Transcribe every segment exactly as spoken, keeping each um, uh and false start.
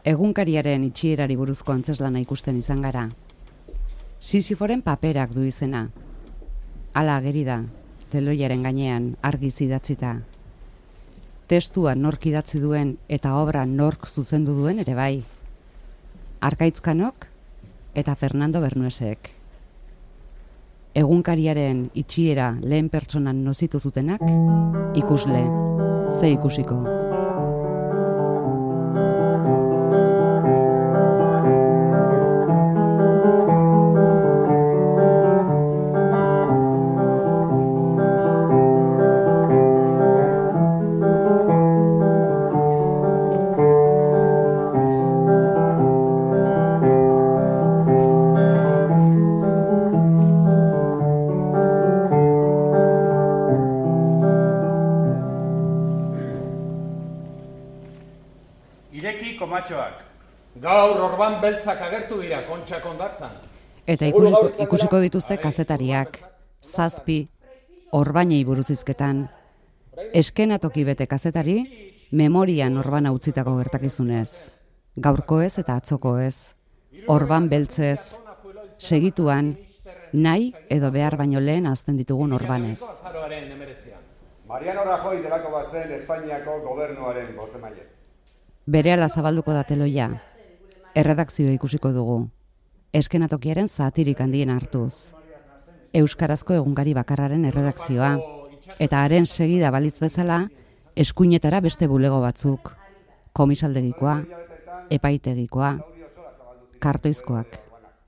Egunkariaren itxierari buruzko antzeslana ikusten izan gara. Sisiforen paperak du izena. Hala ageri da, teloiaren gainean argiz idatzita. Testua nork idatzi duen eta obra nork zuzendu duen ere bai. Arkaitzkanok eta Fernando Bernuesek. Egunkariaren itxiera lehen pertsonan nozitu zutenak, ikusle, ze ikusiko. Komatxoak. Gaur orban beltzak agertu dira kontxak ondartzan. Eta ikusiko, ikusiko dituzte kazetariak, zazpi, orbainei buruz hizketan. Eskenatoki bete kazetari, memorian orbana utzitako gertakizunez. Gaurkoez eta atzokoez, orban beltzez, segituan, nahi edo behar baino lehen azten ditugun orbanez. Mariano Rajoy delako bazen Espainiako gobernuaren bozemaile. Berehala zabalduko da teloia, erredakzioa ikusiko dugu, eskenatokiaren zatirik handien hartuz. Euskarazko egunkari bakarraren erredakzioa, eta haren segida balitz bezala, eskuinetara beste bulego batzuk, komisaldegikoa, epaitegikoa, kartoizkoak,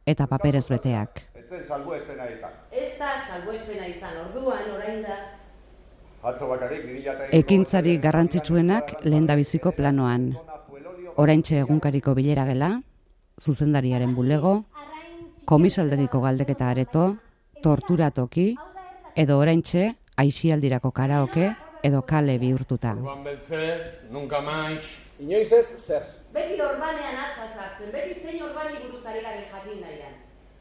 eta paperez beteak. Ez zen salbuespena izan. Ez da salbuespena izan, orduan, orain da. Atzo bakarrik, ekintzari garrantzitsuenak lehendabiziko planoan. Oraintxe egunkariko bilera gela, zuzendariaren bulego, komisaldegiko galdeketa areto, torturatoki, edo oraintxe aisialdirako karaoke edo kale bihurtuta. Orban beltzez, nunca maiz. Inoiz ez, zer? Beti orbanean atza sartzen, beti zein orbani buruz ari garen jakin nahian.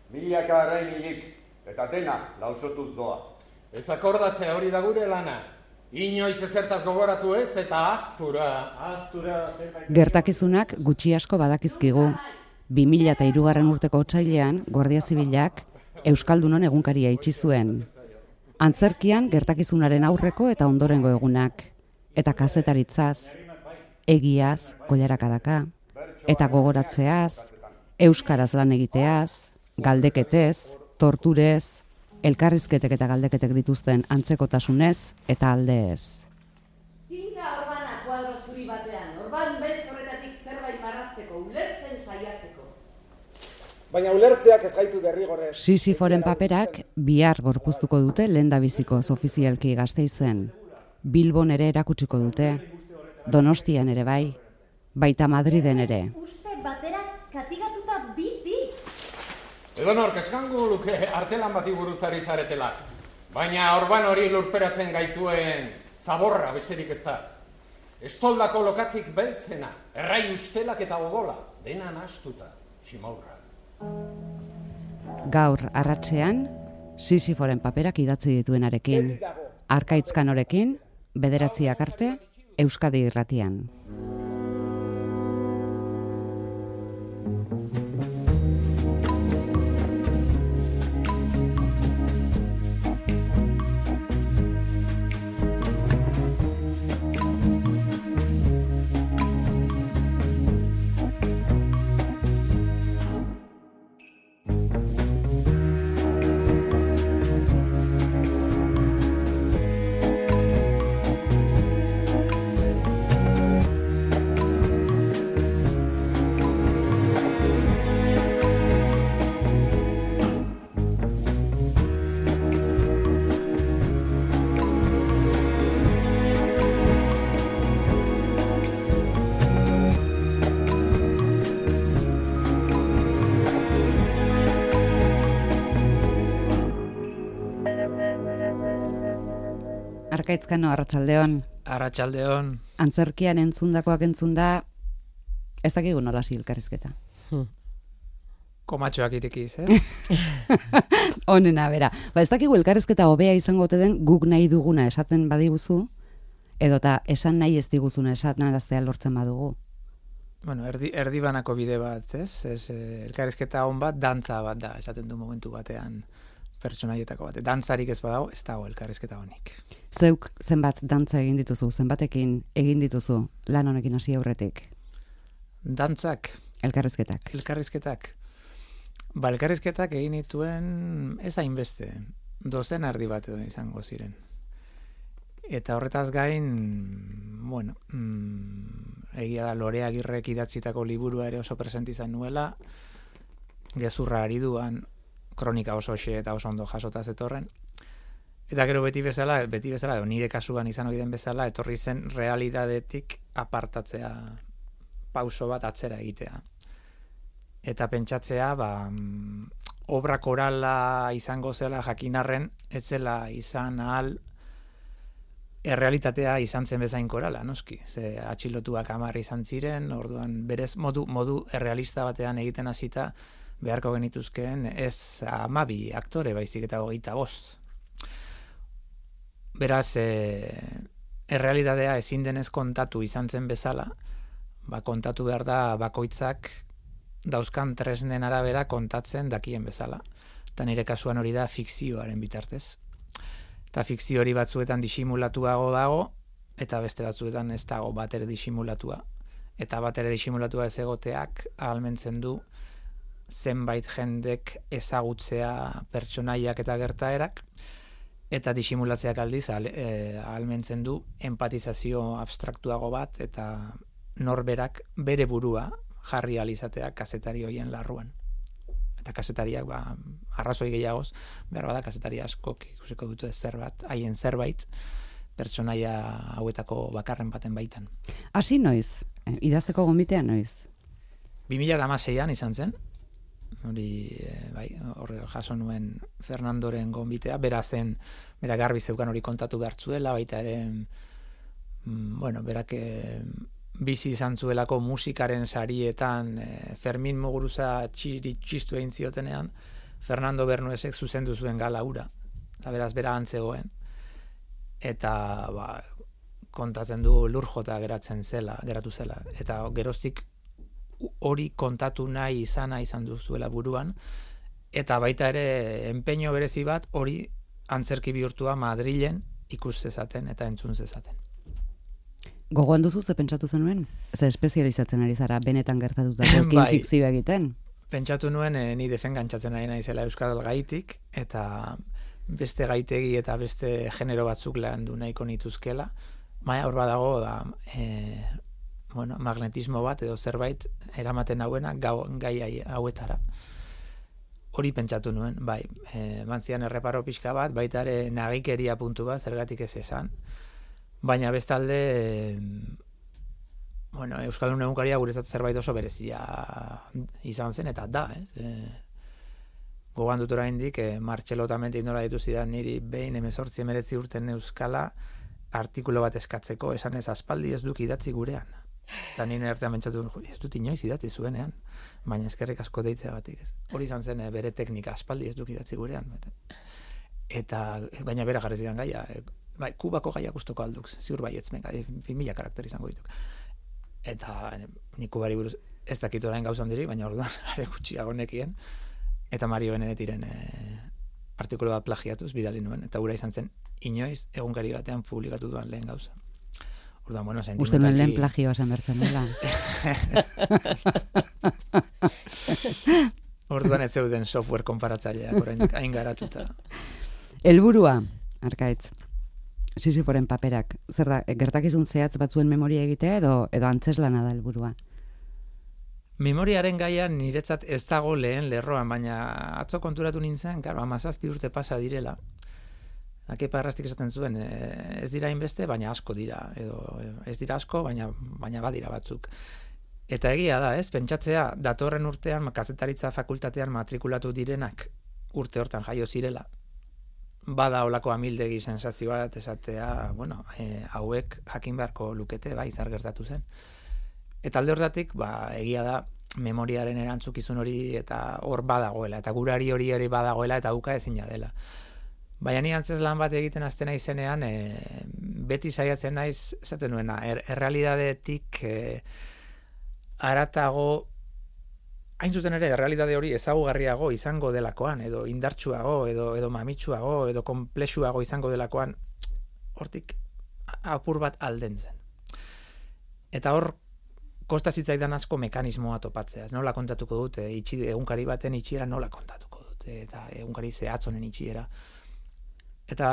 Milaka arrain hilik, eta dena lausotuz doa. Ez akordatzea hori da gure lana. Inoiz ezertaz gogoratu ez eta aztura. Aztura zerbait. Gertakizunak gutxi asko badakizkigu. bi mila eta hirugarren urteko otsailean, Guardia Zibilak Euskaldunon egunkaria itxi zuen. Antzerkian gertakizunaren aurreko eta ondorengo egunak. Eta kazetaritzaz, egiaz, kollarakadaka, eta gogoratzeaz, euskaraz lan egiteaz, galdeketez, torturez, elkarrizketek eta galdeketek dituzten antzekotasunez eta aldeez. Tinta orbana kuadro zuri batean, orban beltz horretatik zerbait marrazteko, ulertzen saiatzeko. Baina ulertzeak ez gaitu derrigorrez. Sisiforen paperak bihar gorpuztuko dute lehendabizikoz ofizialki Gasteizen. Bilbon ere erakutsiko dute, Donostian ere bai, baita Madriden ere. Uste batera katigatuta bizi. Edo nork eskango luke artelan bati buruz ari zaretela. Baina orban hori lurperatzen gaituen zaborra besterik ez da. Estoldako lokatzik beltzena, errai ustelak eta odola, dena nahastuta, simaurra. Gaur arratsean, Sisiforen paperak idatzi dituenarekin, Arkaitzkanorekin, bederatziak arte, Euskadi Irratian. Arkaitzkano, arratsaldeon. Arratsaldeon. Antzerkian entzundakoak entzunda, ez dakigu nola hasi elkarrizketa. Hmm. Komatxoak irekiz, eh? Honena, bera. Ba, ez dakigu elkarrizketa hobea izango ote den guk nahi duguna esaten badiguzu, edota esan nahi ez diguzuna esan araztea lortzen badugu. bueno, erdi, erdibanako bide bat, ez? Ez, eh, elkarrizketa on bat, dantza bat da, esaten du momentu batean pertsonaietako bat. Dantzarik ez badago, ez dago elkarrizketa honik. Zeuk zenbat dantza egin dituzu, zenbatekin egin dituzu lan honekin hasi aurretik? Dantzak, Elkarrizketak. elkarrizketak. Ba, elkarrizketak egin dituen ez hainbeste, dozen erdi bat edo izango ziren. Eta horretaz gain, bueno, mm, egia da Lore Agirrek idatzitako liburua ere oso presente izan nuela, gezurra ari duan, kronika oso xe eta oso ondo jasota zetorren. Eta gero beti bezala, beti bezala, edo nire kasuan izan ohi den bezala, etorri zen realidadetik apartatzea, pauso bat atzera egitea. Eta pentsatzea, ba, mm, obra korala izango zela jakinarren, etzela izan ahal errealitatea izan zen bezain korala, noski. Ze atxilotuak hamar izan ziren, orduan berez modu, modu errealista batean egiten hasita beharko genituzkeen ez hamabi aktore baizik eta hogeita bost. Beraz, e, errealitatea ezin denez kontatu izan zen bezala, ba, kontatu behar da bakoitzak dauzkan tresnen arabera kontatzen dakien bezala. Eta nire kasuan hori da fikzioaren bitartez. Eta fikzio hori batzuetan disimulatuago dago, eta beste batzuetan ez dago batere disimulatua. Eta batere disimulatua ez egoteak ahalmentzen du zenbait jendek ezagutzea pertsonaiak eta gertaerak, eta disimulatzeak aldiz ahalmentzen du empatizazio abstraktuago bat, eta norberak bere burua jarri alizatea kazetari hoien larruan. Eta kazetariak, ba, arrazoi gehiagoz, behar bada kazetari askok ikusiko dute zerbat, haien zerbait, pertsonaia hauetako bakarren baten baitan. Hasi noiz? Idazteko gonbitea noiz? bi mila hamaseian izan zen, hori, bai, horre jaso nuen Fernandoren gonbitea, bera zen, bera garbi zeukan hori kontatu behartzuela, baita ere, mm, bueno, berak bizi izan zuelako musikaren sarietan, eh, Fermin Muguruza txiri txistu egin ziotenean, Fernando Bernuesek zuzendu zuen gala hura, eta beraz bera antzegoen, eta ba, kontatzen du lurjota geratzen zela, geratu zela, eta geroztik hori kontatu nahi izana izan duzuela buruan, eta baita ere enpeño berezi bat hori antzerki bihurtua Madrilen ikus zezaten eta entzun zezaten. Gogoan duzu ze pentsatu zenuen? Ze espezializatzen ari zara benetan gertatutako Bai. fikzioa egiten? Pentsatu nuen eh, ni desengantzatzen ari naizela euskal gaitik, eta beste gaitegi eta beste genero batzuk landu nahiko nituzkela. Baina hor badago da, e, bueno, magnetismo bat edo zerbait eramaten hauena gau, gai hauetara. Hori pentsatu nuen, bai, e, bantzian erreparo pixka bat, baita ere nagikeria puntu bat, zergatik ez esan. Baina bestalde, e, bueno, Euskaldun egunkaria guretzat zerbait oso berezia izan zen, eta da, ez? E, gogoan dut oraindik, e, Martxelo Otamendik nola dituzidan niri behin hemezortzi hemeretzi urten euskala artikulo bat eskatzeko, esan ez aspaldi ez duk idatzi gurean. Eta nire artean bentsatu, ez dut inoiz idatzi zuenean, baina eskerrik asko deitzeagatik, ez. Hori izan zen e, bere teknika, aspaldi ez duk idatzi gurean. Eta, baina bera jarri zidan gaia, e, bai, Kubako gaiak ustoko alduk, ziur baietz, menga, bi mila karakter izango dituk. Eta nik Kubari buruz ez dakit orain gauza handiri, baina orduan are gutxiago nekien. Eta Mario Benedetiren e, artikulu bat plagiatuz bidali nuen, eta gura izan zen inoiz egunkari batean publikatu duan lehen gauza. Orduan, bueno, sentimentalki... Uste nuen lehen plagioa zen bertzen dela. Orduan ez zeuden software konparatzaileak orain hain garatuta. Helburua, Arkaitz, Sisiforen paperak, zer da, gertakizun zehatz batzuen memoria egitea edo edo antzeslana da helburua? Memoriaren gaian niretzat ez dago lehen lerroan, baina atzo konturatu nintzen, karo, hamazazpi urte pasa direla. Akepa Errastik esaten zuen, ez dira inbeste, baina asko dira, edo ez dira asko, baina, baina badira batzuk. Eta egia da, ez, pentsatzea, datorren urtean, kazetaritza fakultatean matrikulatu direnak urte hortan jaio zirela. Bada olako amildegi sensazio bat esatea, bueno, e, hauek jakin beharko lukete, bai, zer gertatu zen. Eta alde hortatik, ba, egia da, memoriaren erantzukizun hori eta hor badagoela, eta gurari hori hori badagoela, eta uka ezina dela. Baina ni antzeslan bat egiten aztena izenean, e, beti saiatzen naiz, esaten nuena, er, errealidadetik e, aratago, hain zuzen ere, errealitate hori ezagugarriago izango delakoan, edo indartsuago, edo, edo mamitsuago, edo komplexuago izango delakoan, hortik apur bat alden zen. Eta hor, kosta zitzaidan asko mekanismoa topatzea. Nola kontatuko dute, itxi, egunkari baten itxiera nola kontatuko dute, eta egunkari zehatzonen itxiera. Eta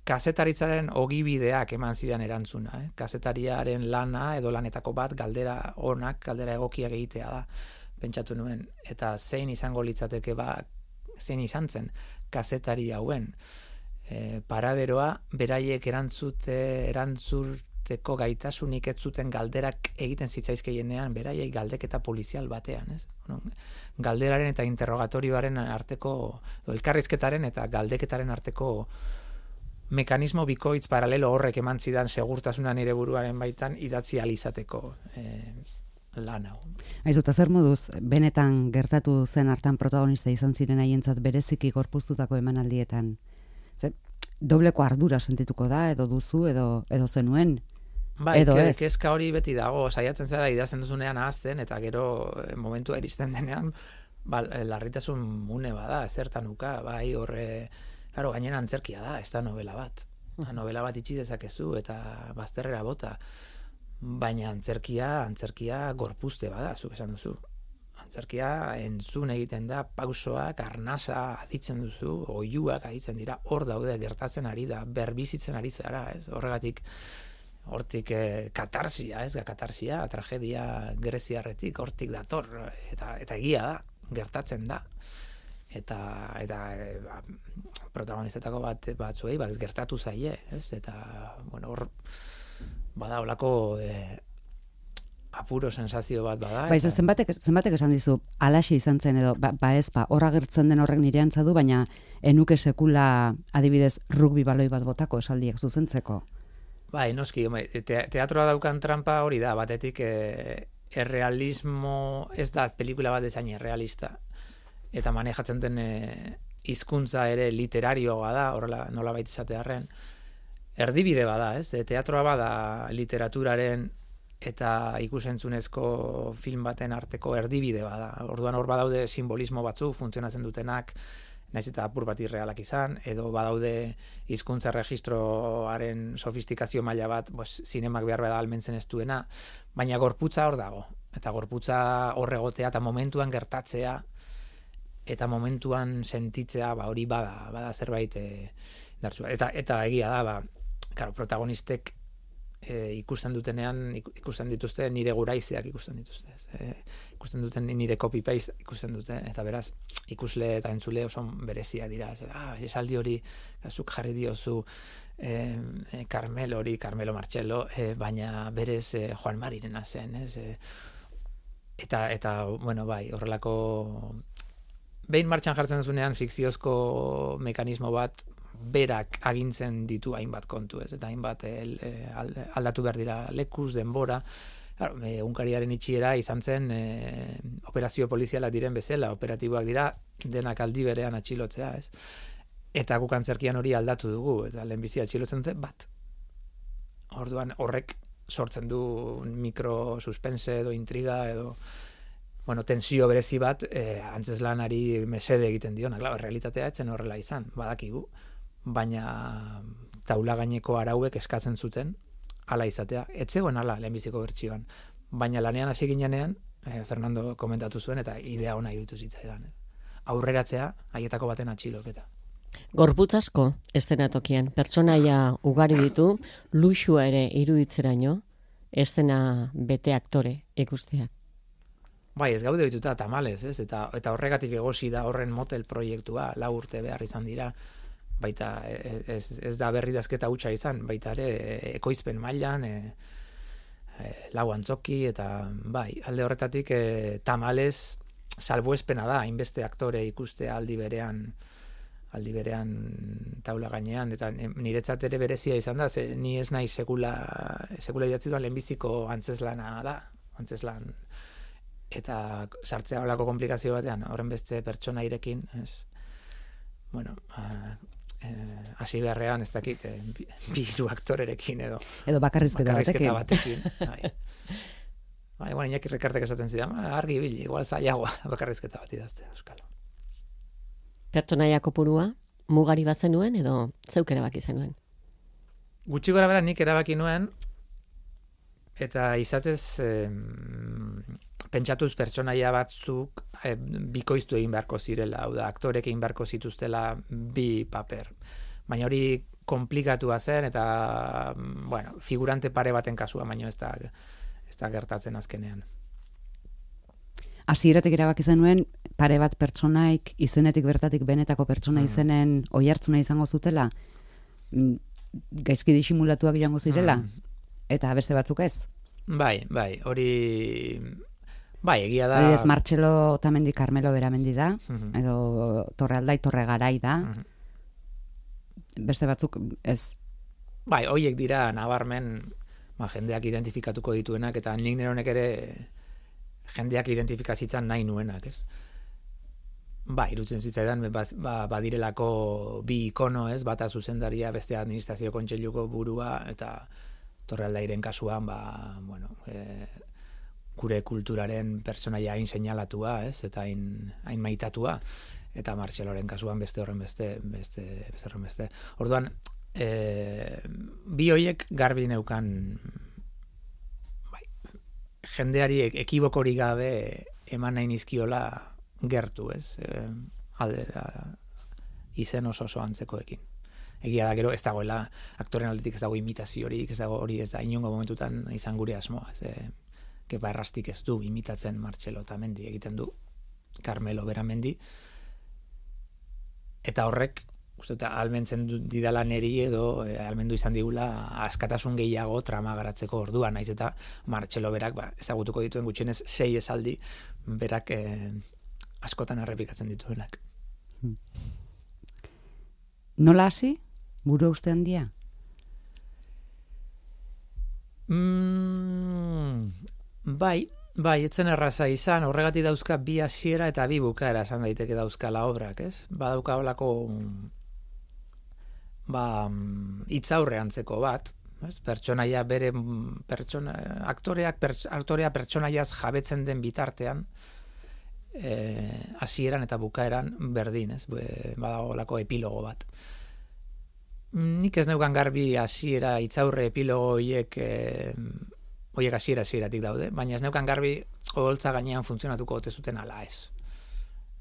kazetaritzaren ogibideak eman zidan erantzuna. Eh? Kazetariaren lana edo lanetako bat galdera onak, galdera egokiak egitea da, pentsatu nuen. Eta zein izango litzateke ba, zein izan zen kazetari hauen. E, paraderoa, beraiek erantzute, erantzurteko gaitasunik ez zuten galderak egiten zitzaizkeienean, beraiek galdeketa polizial batean, ez? Galderaren eta interrogatorioaren arteko, elkarrizketaren eta galdeketaren arteko mekanismo bikoitz paralelo horrek eman zidan segurtasuna nire buruaren baitan idatzi alizateko e, lan hau. Aizu, eta zer moduz, benetan gertatu zen hartan protagonista izan ziren haientzat bereziki gorpuztutako emanaldietan? Zer, dobleko ardura sentituko da, edo duzu, edo, edo zenuen? Bai, edo ke, ez. kezka hori beti dago, saiatzen zara idazten duzunean ahazten, eta gero momentua iristen denean, ba, larritasun une bada, zertan uka, bai, horre, claro, gainera antzerkia da, ez da novela bat. Novela bat itxi dezakezu, eta bazterrera bota. Baina antzerkia, antzerkia gorpuzte bada, zuk esan duzu. Antzerkia entzun egiten da, pausoak, arnasa aditzen duzu, oihuak aditzen dira, hor daude gertatzen ari da, berbizitzen ari zara, ez? Horregatik, hortik eh, katarsia, ez? Katarsia, tragedia greziarretik, hortik dator, eta, eta egia da, gertatzen da. Eta, eta e, ba, protagonistetako bat batzuei ba, gertatu zaie, ez? Eta, bueno, hor bada holako e, apuro sensazio bat bada. Ba, eta... zenbatek, zenbatek esan dizu, alaxe izan zen edo, ba, ba ez, ba, horra gertzen den horrek nire antzadu, baina enuke sekula adibidez rugby baloi bat botako esaldiak zuzentzeko. Bai, noski, te, teatroa daukan trampa hori da, batetik e, errealismo, ez da pelikula bat ezain errealista, eta manejatzen den e, hizkuntza ere literarioa da, horrela nola baita izatearren, erdibide bada, ez? Teatroa bada literaturaren eta ikusentzunezko film baten arteko erdibide bada. Orduan hor badaude simbolismo batzuk funtzionatzen dutenak, naiz eta apur bat irrealak izan, edo badaude hizkuntza registroaren sofistikazio maila bat, pues, zinemak behar bada almentzen ez duena, baina gorputza hor dago. Eta gorputza hor egotea eta momentuan gertatzea, eta momentuan sentitzea, ba, hori bada, bada zerbait e, dartsua. Eta, eta egia da, ba, claro, protagonistek e, ikusten dutenean, ikusten dituzte nire guraizeak ikusten dituzte. E, ikusten duten nire copy-paste ikusten dute, eta beraz, ikusle eta entzule oso bereziak dira. Ez, ah, esaldi hori, zuk jarri diozu e, e, Carmelo hori, Carmelo Marcello, e, baina berez e, Juan Marirena zen, ez? E, eta, eta, bueno, bai, horrelako... Behin martxan jartzen duzunean fikziozko mekanismo bat berak agintzen ditu hainbat kontu, ez? Eta hainbat el, aldatu behar dira lekuz, denbora. Claro, egunkariaren itxiera izan zen e, operazio poliziala diren bezala, operatiboak dira denak aldi berean atxilotzea, ez? Eta guk antzerkian hori aldatu dugu, eta lehenbizi atxilotzen dute bat. Orduan horrek sortzen du mikro suspense edo intriga edo... Bueno, tensio berezi bat, eh, antzeslanari mesede egiten diona. Claro, realitatea etzen horrela izan, badakigu. Baina taula gaineko arauek eskatzen zuten, hala izatea. Etzegoen hala, lehenbiziko bertsioan. Baina lanean hasi ginenean, eh, Fernando komentatu zuen, eta idea ona iruditu zitzaidan. Eh. Aurreratzea, haietako baten atxiloketa. Gorputz asko, eszenatokian. Pertsonaia ugari ditu, luxua ere iruditzeraino, eszena bete aktore ikusteak. Bai, ez gaude ohituta tamalez, ez? Eta, eta horregatik egosi da horren motel proiektua, lau urte behar izan dira, baita ez, ez da berridazketa hutsa izan, baita ere ekoizpen mailan, e, e, lau antzoki, eta bai, alde horretatik e, tamalez salbuespena da, hainbeste aktore ikustea aldi berean, aldi berean taula gainean, eta niretzat ere berezia izan da, ze ni ez nahi sekula, sekula idatzi duan lehenbiziko antzeslana da, antzeslan, eta sartzea holako komplikazio batean, horren beste pertsona irekin, ez, bueno, hasi uh, beharrean ez dakit, eh, bi, bi hiru aktorerekin edo edo bakarrizketa, bakarrizketa batekin. batekin bai. Ba, igual Iñaki Rekartek esaten zidan, argi ibili, igual zailagoa bakarrizketa bat idaztea euskalo. Pertsonaia kopurua, mugari bat zenuen edo zeuk erabaki zenuen? Gutxi gora bera nik erabaki nuen, eta izatez eh, pentsatuz pertsonaia batzuk eh, bikoiztu egin beharko zirela, hau da, aktorek egin beharko zituztela bi paper. Baina hori komplikatua zen, eta, bueno, figurante pare baten kasua, baina ez da, ez da gertatzen azkenean. Hasieratik erabaki zenuen pare bat pertsonaik izenetik bertatik benetako pertsona Mm. izenen oihartzuna izango zutela, mm, gaizki disimulatuak joango zirela, Mm. eta beste batzuk ez. Bai, bai, hori... Bai, egia da... Adibidez, Martxelo Otamendi Carmelo Beramendi da, Mhm. edo Torrealdai Torre Garai da, Mhm. beste batzuk ez. Bai, hoiek dira nabarmen ba, jendeak identifikatuko dituenak, eta nik neronek ere jendeak identifikazitzan nahi nuenak, ez? Ba, irutzen zitzaidan, ba, ba, badirelako bi ikono, ez? Bata zuzendaria, beste administrazio kontseiluko burua, eta Torrealdairen kasuan, ba, bueno, e, gure kulturaren pertsonaia hain seinalatua, ez? Eta hain, hain maitatua, eta Martxeloren kasuan beste horren beste, beste, beste horren beste. Orduan, e, bi hoiek garbi neukan, bai, jendeari ekibokorik gabe eman nahi nizkiola gertu, ez? E, alde, a, izen oso oso antzekoekin. Egia da, gero ez dagoela, aktoren aldetik ez dago imitaziorik, ez dago hori ez da inongo momentutan izan gure asmoa. Ez, e, Kepa Errastik ez du imitatzen Martxelo Otamendi, egiten du Carmelo Beramendi, eta horrek, uste, eta almentzen didala neri edo e, almendu izan digula askatasun gehiago trama garatzeko orduan, naiz eta Martxelo berak ba, ezagutuko dituen gutxienez sei esaldi berak e, askotan errepikatzen dituenak. Nola hasi? Buru uste handia? Mm, bai, bai, etzen erraza izan, horregatik dauzka bi hasiera eta bi bukaera esan daiteke dauzkala obrak, ez? Badauka holako ba, hitzaurre antzeko bat, ez? Pertsonaia bere pertsona, aktoreak perts, aktorea pertsonaiaz jabetzen den bitartean, hasieran eta bukaeran berdin, ez? Badago holako epilogo bat. Nik ez neukan garbi hasiera hitzaurre epilogo horiek eh, horiek hasiera hasieratik daude, baina ez neukan garbi oholtza gainean funtzionatuko ote zuten ala ez.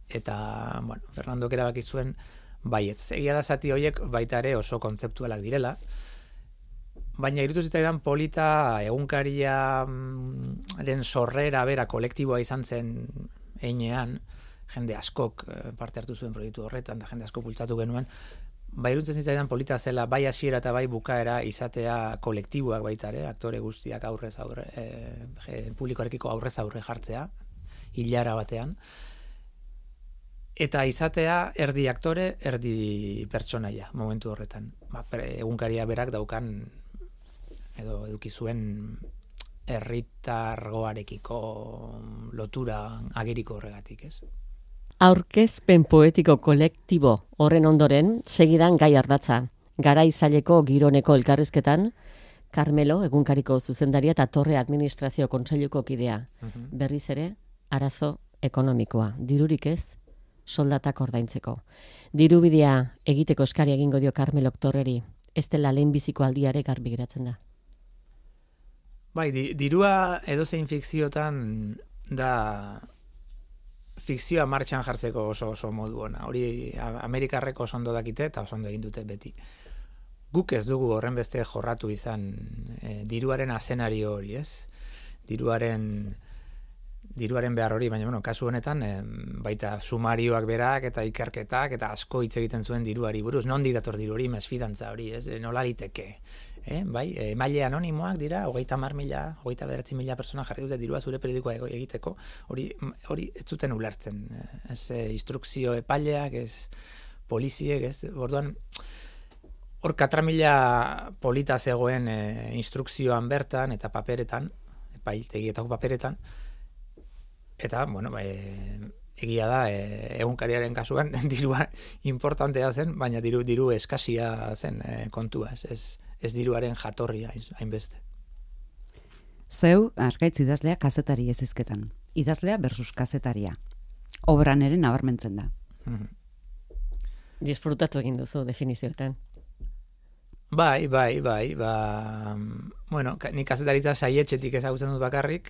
Eta, bueno, Fernandok erabaki zuen baietz. Egia da zati horiek baita ere oso kontzeptualak direla, baina irutu zitzaidan polita egunkariaren sorrera bera kolektiboa izan zen einean, jende askok parte hartu zuen proiektu horretan, da jende asko bultzatu genuen, ba, irutzen zitzaidan polita zela bai hasiera eta bai bukaera izatea kolektiboak baita ere, aktore guztiak aurrez aurre, e, publikoarekiko aurrez aurre jartzea, hilara batean, eta izatea erdi aktore, erdi pertsonaia momentu horretan. Ba, egunkaria berak daukan edo eduki zuen herritargoarekiko lotura ageriko horregatik, ez? Aurkezpen poetiko kolektibo horren ondoren, segidan gai ardatza. Garaizaileko gironeko elkarrizketan, Carmelo, egunkariko zuzendaria eta Torre Administrazio Kontseiluko kidea. Mhm. Berriz ere, arazo ekonomikoa. Dirurik ez, soldatak ordaintzeko. Dirubidea egiteko eskari egingo dio Carmelok Torreri, ez dela lehenbiziko aldiare garbi geratzen da. Bai, di, dirua edozein fikziotan da fikzioa martxan jartzeko oso oso modu ona. Hori Amerikarrek oso ondo dakite eta oso ondo egin dute beti. Guk ez dugu horren beste jorratu izan e, diruaren azenario hori, ez? Diruaren diruaren behar hori, baina bueno, kasu honetan e, baita sumarioak berak eta ikerketak eta asko hitz egiten zuen diruari buruz. Nondik dator diru hori, mesfidantza hori, ez? E, nola liteke? Eh, bai, emaile anonimoak dira, hogeita hamar mila, hogeita bederatzi mila persona jarri dute dirua zure periodikoa egiteko, hori hori ez zuten ulertzen, ez e, instrukzio epaileak, ez poliziek, ez, orduan hor katra mila polita zegoen e, instrukzioan bertan eta paperetan, epailtegietako paperetan, eta, bueno, e, egia da, e, egunkariaren kasuan dirua importantea zen, baina diru, diru eskasia zen e, kontua, ez, ez ez diruaren jatorria hainbeste. Zeu, Arkaitz idazlea kazetari ez izketan. Idazlea versus kazetaria. Obran ere nabarmentzen da. Disfrutatu egin duzu definizioetan. Bai, bai, bai, ba, bueno, ni kazetaritza saietxetik ezagutzen dut bakarrik,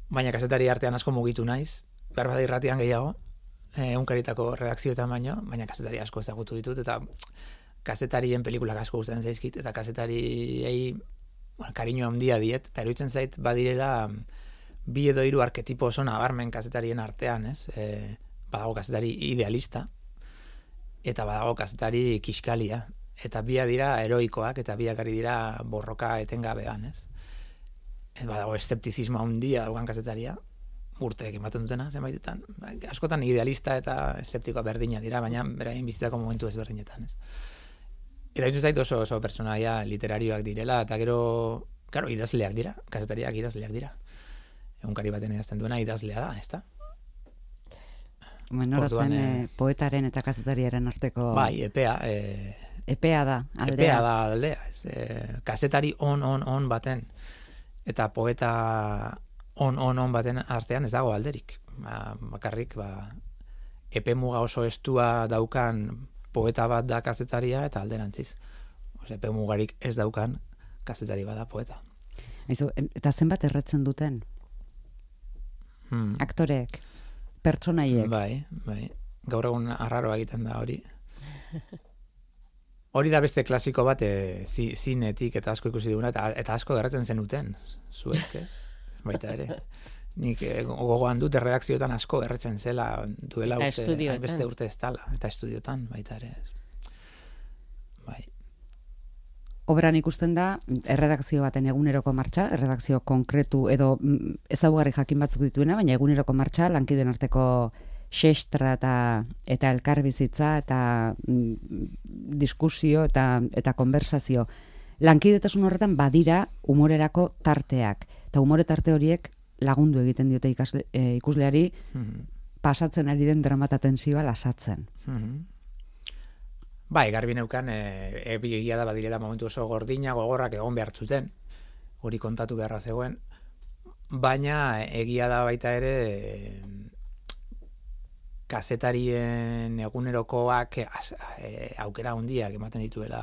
baina kazetari artean asko mugitu naiz, behar bada irratian gehiago, egunkaritako redakzioetan baino, baina kazetari asko ezagutu ditut, eta kazetarien pelikulak asko gustatzen zaizkit, eta kazetariei, bueno, kariño handia diet, eta eruditzen zait badirela bi edo hiru arketipo oso nabarmen kazetarien artean, ez? E, badago kazetari idealista, eta badago kazetari kiskalia, eta bia dira heroikoak, eta biak ari dira borroka etengabean, ez? Ez badago eszeptizismo handia daukan kazetaria, urteek ematen dutena, zenbaitetan. Askotan idealista eta eszeptikoa berdina dira, baina beraien bizitzako momentu ezberdinetan, ez? Eta ditu zait oso, oso personaia literarioak direla, eta gero, claro, idazleak dira, kazetariak idazleak dira. Egunkari baten idazten duena idazlea da, ez da? Bueno, Orduan, zen eh, eh, poetaren eta kazetariaren arteko... Bai, epea, eh, Epea da, aldea. epea da aldea, ez, eh, kazetari on, on, on baten, eta poeta on, on, on baten artean ez dago alderik. Ba, bakarrik, ba, epe muga oso estua daukan poeta bat da kazetaria eta alderantziz. Ose, epe mugarik ez daukan kazetari bada poeta. Aizu, em- eta zenbat erretzen duten? Hmm. Aktoreek, pertsonaiek. Bai, bai. Gaur egun arraroa egiten da hori. Hori da beste klasiko bat e, zi, zinetik eta asko ikusi duguna, eta, eta asko gerratzen zenuten, zuek, ez? Baita ere. Nik e, gogoan dut erredakzioetan asko erretzen zela duela Eta urte, estudioetan. beste urte ez dala, eta estudiotan baita ere. Ez. Bai. Obran ikusten da, erredakzio baten eguneroko martxa, erredakzio konkretu edo mm, ezaugarri jakin batzuk dituena, baina eguneroko martxa lankideen arteko xestra eta, eta elkarbizitza eta mm, diskusio eta, eta konversazio. Lankidetasun horretan badira humorerako tarteak. Eta humore tarte horiek lagundu egiten diote ikasle, e, ikusleari Mhm. pasatzen ari den dramata tensioa lasatzen. Mhm. Bai, garbi neukan, e, ebi egia da badirela momentu oso gordina, gogorrak egon behar zuten, hori kontatu beharra zegoen, baina egia da baita ere e, kazetarien egunerokoak az, e, aukera handiak ematen dituela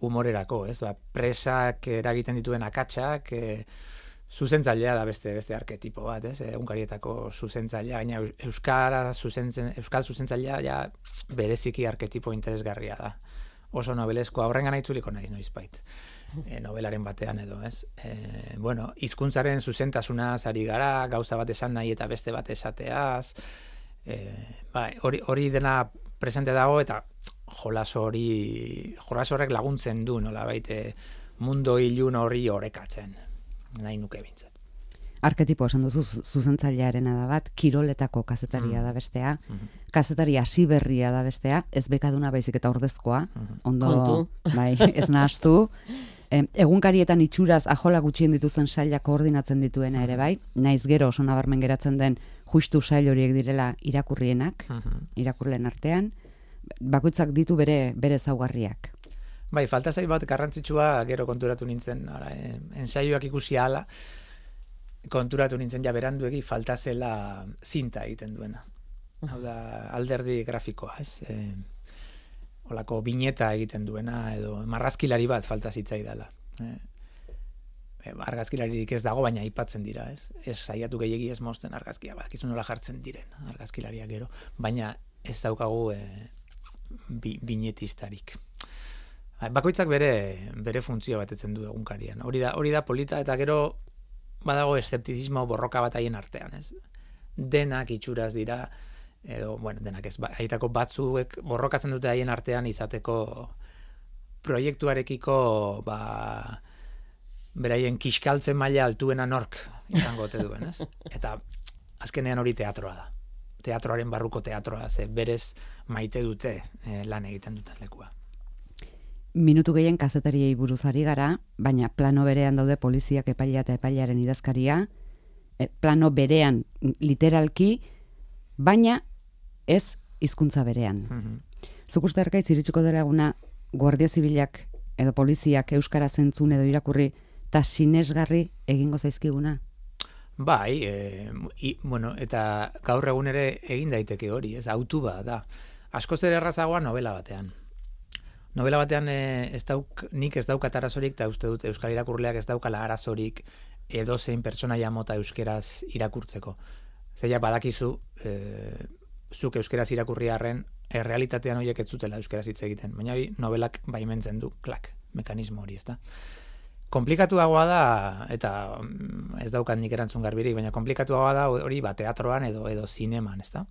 humorerako, ez? Ba, presak eragiten dituen akatsak, e, zuzentzailea da beste beste arketipo bat, ez? Egunkarietako zuzentzailea, gaina euskara zuzentzen, euskal zuzentzailea ja bereziki arketipo interesgarria da. Oso nobeleskoa, horrengana itzuliko naiz noizbait. E, novelaren batean edo, ez? E, bueno, hizkuntzaren zuzentasunaz ari gara, gauza bat esan nahi eta beste bat esateaz. E, bai, hori hori dena presente dago eta jolas hori jolas horrek laguntzen du, nolabait e, mundo ilun hori orekatzen. Nahi nuke bintzat. Arketipo esan duzu zu- zuzentzailearena da bat, kiroletako kazetaria Mm. da bestea, Mhm. kazetari hasiberria da bestea, ez bekaduna baizik eta ordezkoa, Mhm. ondo, Kontu. bai, ez nahastu. E, egunkarietan itxuraz ajola gutxien dituzten sailak koordinatzen dituena ere bai, naiz gero oso nabarmen geratzen den justu sail horiek direla irakurrienak, Mhm. irakurleen artean, bakoitzak ditu bere bere ezaugarriak. Bai, falta zait bat garrantzitsua gero konturatu nintzen, ara, eh, ensaioak ikusi ahala, konturatu nintzen ja beranduegi falta zela zinta egiten duena. Hau da, alderdi grafikoa, ez? E, olako bineta egiten duena, edo marrazkilari bat falta zitzaidala. E, e, argazkilaririk ez dago, baina aipatzen dira, ez? Ez saiatu gehiegi ez mozten argazkia, badakizu nola jartzen diren argazkilariak gero, baina ez daukagu e, bi, binetistarik. Bakoitzak bere bere funtzio batetzen du egunkarian. Hori da, hori da polita eta gero badago eszeptizismo borroka bat haien artean, ez? Denak itxuraz dira edo, bueno, denak ez, haitako batzuek borrokatzen dute haien artean izateko proiektuarekiko ba beraien kiskaltzen maila altuena nork izango ote duen, ez? Eta azkenean hori teatroa da. Teatroaren barruko teatroa, ze berez maite dute eh, lan egiten duten lekua. Minutu gehien kazetariei buruz ari gara, baina plano berean daude poliziak, epailea eta epailearen idazkaria, e, plano berean literalki, baina ez hizkuntza berean. Mhm. Zuk uste Arkaitz iritsiko dela eguna Guardia Zibilak edo poliziak euskara zentzun edo irakurri eta sinesgarri egingo zaizkiguna. Bai, e, i, bueno, eta gaur egun ere egin daiteke hori, ez, autu bat da. Askoz ere errazagoa novela batean. Novela batean e, ez dauk, nik ez daukat arazorik, eta uste dut euskal irakurleak ez daukala arazorik edozein pertsonaia mota euskeraz irakurtzeko. Zeia badakizu, e, zuk euskeraz irakurri arren, errealitatean horiek ez zutela euskeraz hitz egiten. Baina hori novelak baimentzen du, klak, mekanismo hori, ez da. Komplikatuagoa da, eta ez daukat nik erantzun garbirik, baina komplikatuagoa da hori ba, teatroan edo edo zineman, ez da.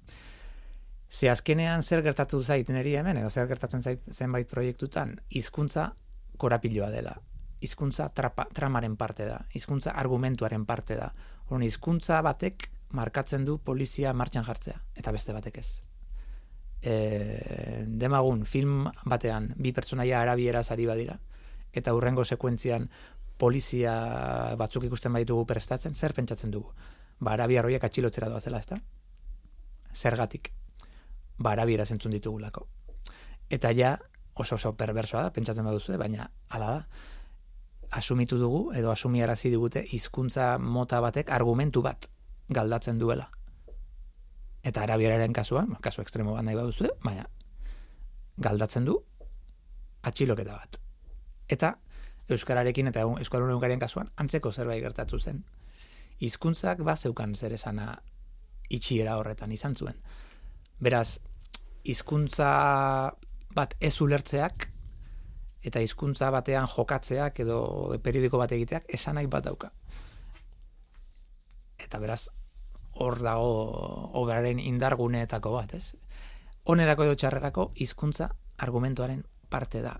Ze azkenean zer gertatu zait niri hemen, edo zer gertatzen zait zenbait proiektutan, hizkuntza korapiloa dela. Hizkuntza trapa, tramaren parte da, hizkuntza argumentuaren parte da. Horren hizkuntza batek markatzen du polizia martxan jartzea, eta beste batek ez. E, demagun, film batean bi pertsonaia arabieraz ari badira, eta hurrengo sekuentzian polizia batzuk ikusten baditugu prestatzen, zer pentsatzen dugu? Ba, arabiar horiek atxilotzera doazela, ezta? Zergatik? Ba, arabiera zentzun ditugulako. Eta ja, oso oso perversoa da, pentsatzen baduzu, baina hala da. Asumitu dugu, edo asumiarazi digute, hizkuntza mota batek argumentu bat galdatzen duela. Eta arabieraren kasuan, kasu ekstremo bat nahi baduzu, baina galdatzen du atxiloketa bat. Eta euskararekin eta euskal egunkarien kasuan antzeko zerbait gertatu zen. Hizkuntzak bazeukan zer esana itxiera horretan izan zuen. Beraz, hizkuntza bat ez ulertzeak eta hizkuntza batean jokatzeak edo periodiko bat egiteak esanak bat dauka. Eta beraz, hor dago obraren indarguneetako bat, ez? Onerako edo txarrerako hizkuntza argumentuaren parte da.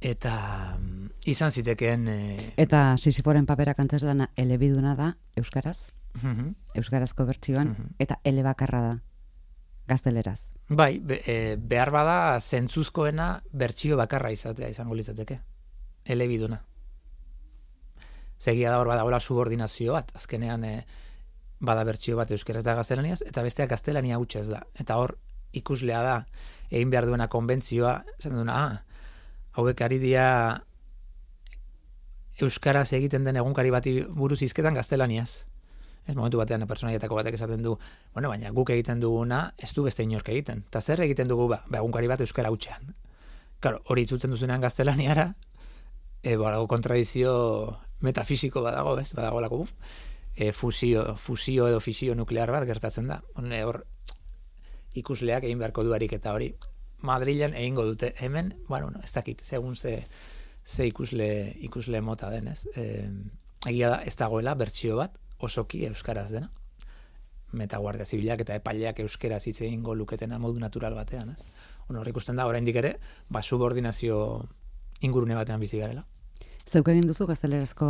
Eta izan zitekeen... E... Eta Sisiforen paperak antzezlana elebiduna da, euskaraz, uh-huh. euskarazko bertsioan, uh-huh. eta elebakarra da, gazteleraz. Bai, be, e, behar bada zentzuzkoena bertsio bakarra izatea izango litzateke, elebiduna. Segia da hor badagoela subordinazio bat, azkenean e, bada bertsio bat euskaraz da gaztelaniaz, eta besteak gaztelania hutsez da. Eta hor ikuslea da, egin behar duena konbentzioa, esan duena, ah, hauek ari dira euskaraz egiten den egunkari bati buruz hizketan gaztelaniaz. Ez momentu batean pertsonaietako batek esaten du, bueno, baina guk egiten duguna ez du beste inork egiten. Ta zer egiten dugu ba, ba egunkari bat euskara hutsean. Claro, hori itzultzen duzunean gaztelaniara, e, badago kontradizio metafisiko badago, ez? Badagolako e, fusio, fusio edo fisio nuklear bat gertatzen da. Hone hor ikusleak egin beharko du ariketa hori. Madrilen egingo dute, hemen, bueno, no, ez dakit, segun ze, ze ikusle, ikusle mota denez. E, egia da, ez dagoela bertsio bat, osoki euskaraz dena. Meta guardia zibilak eta epaileak euskeraz hitz egingo luketena modu natural batean, ez? Ono, hor ikusten da, oraindik ere, ba, subordinazio ingurune batean bizi garela. Zeuk egin duzu gaztelerazko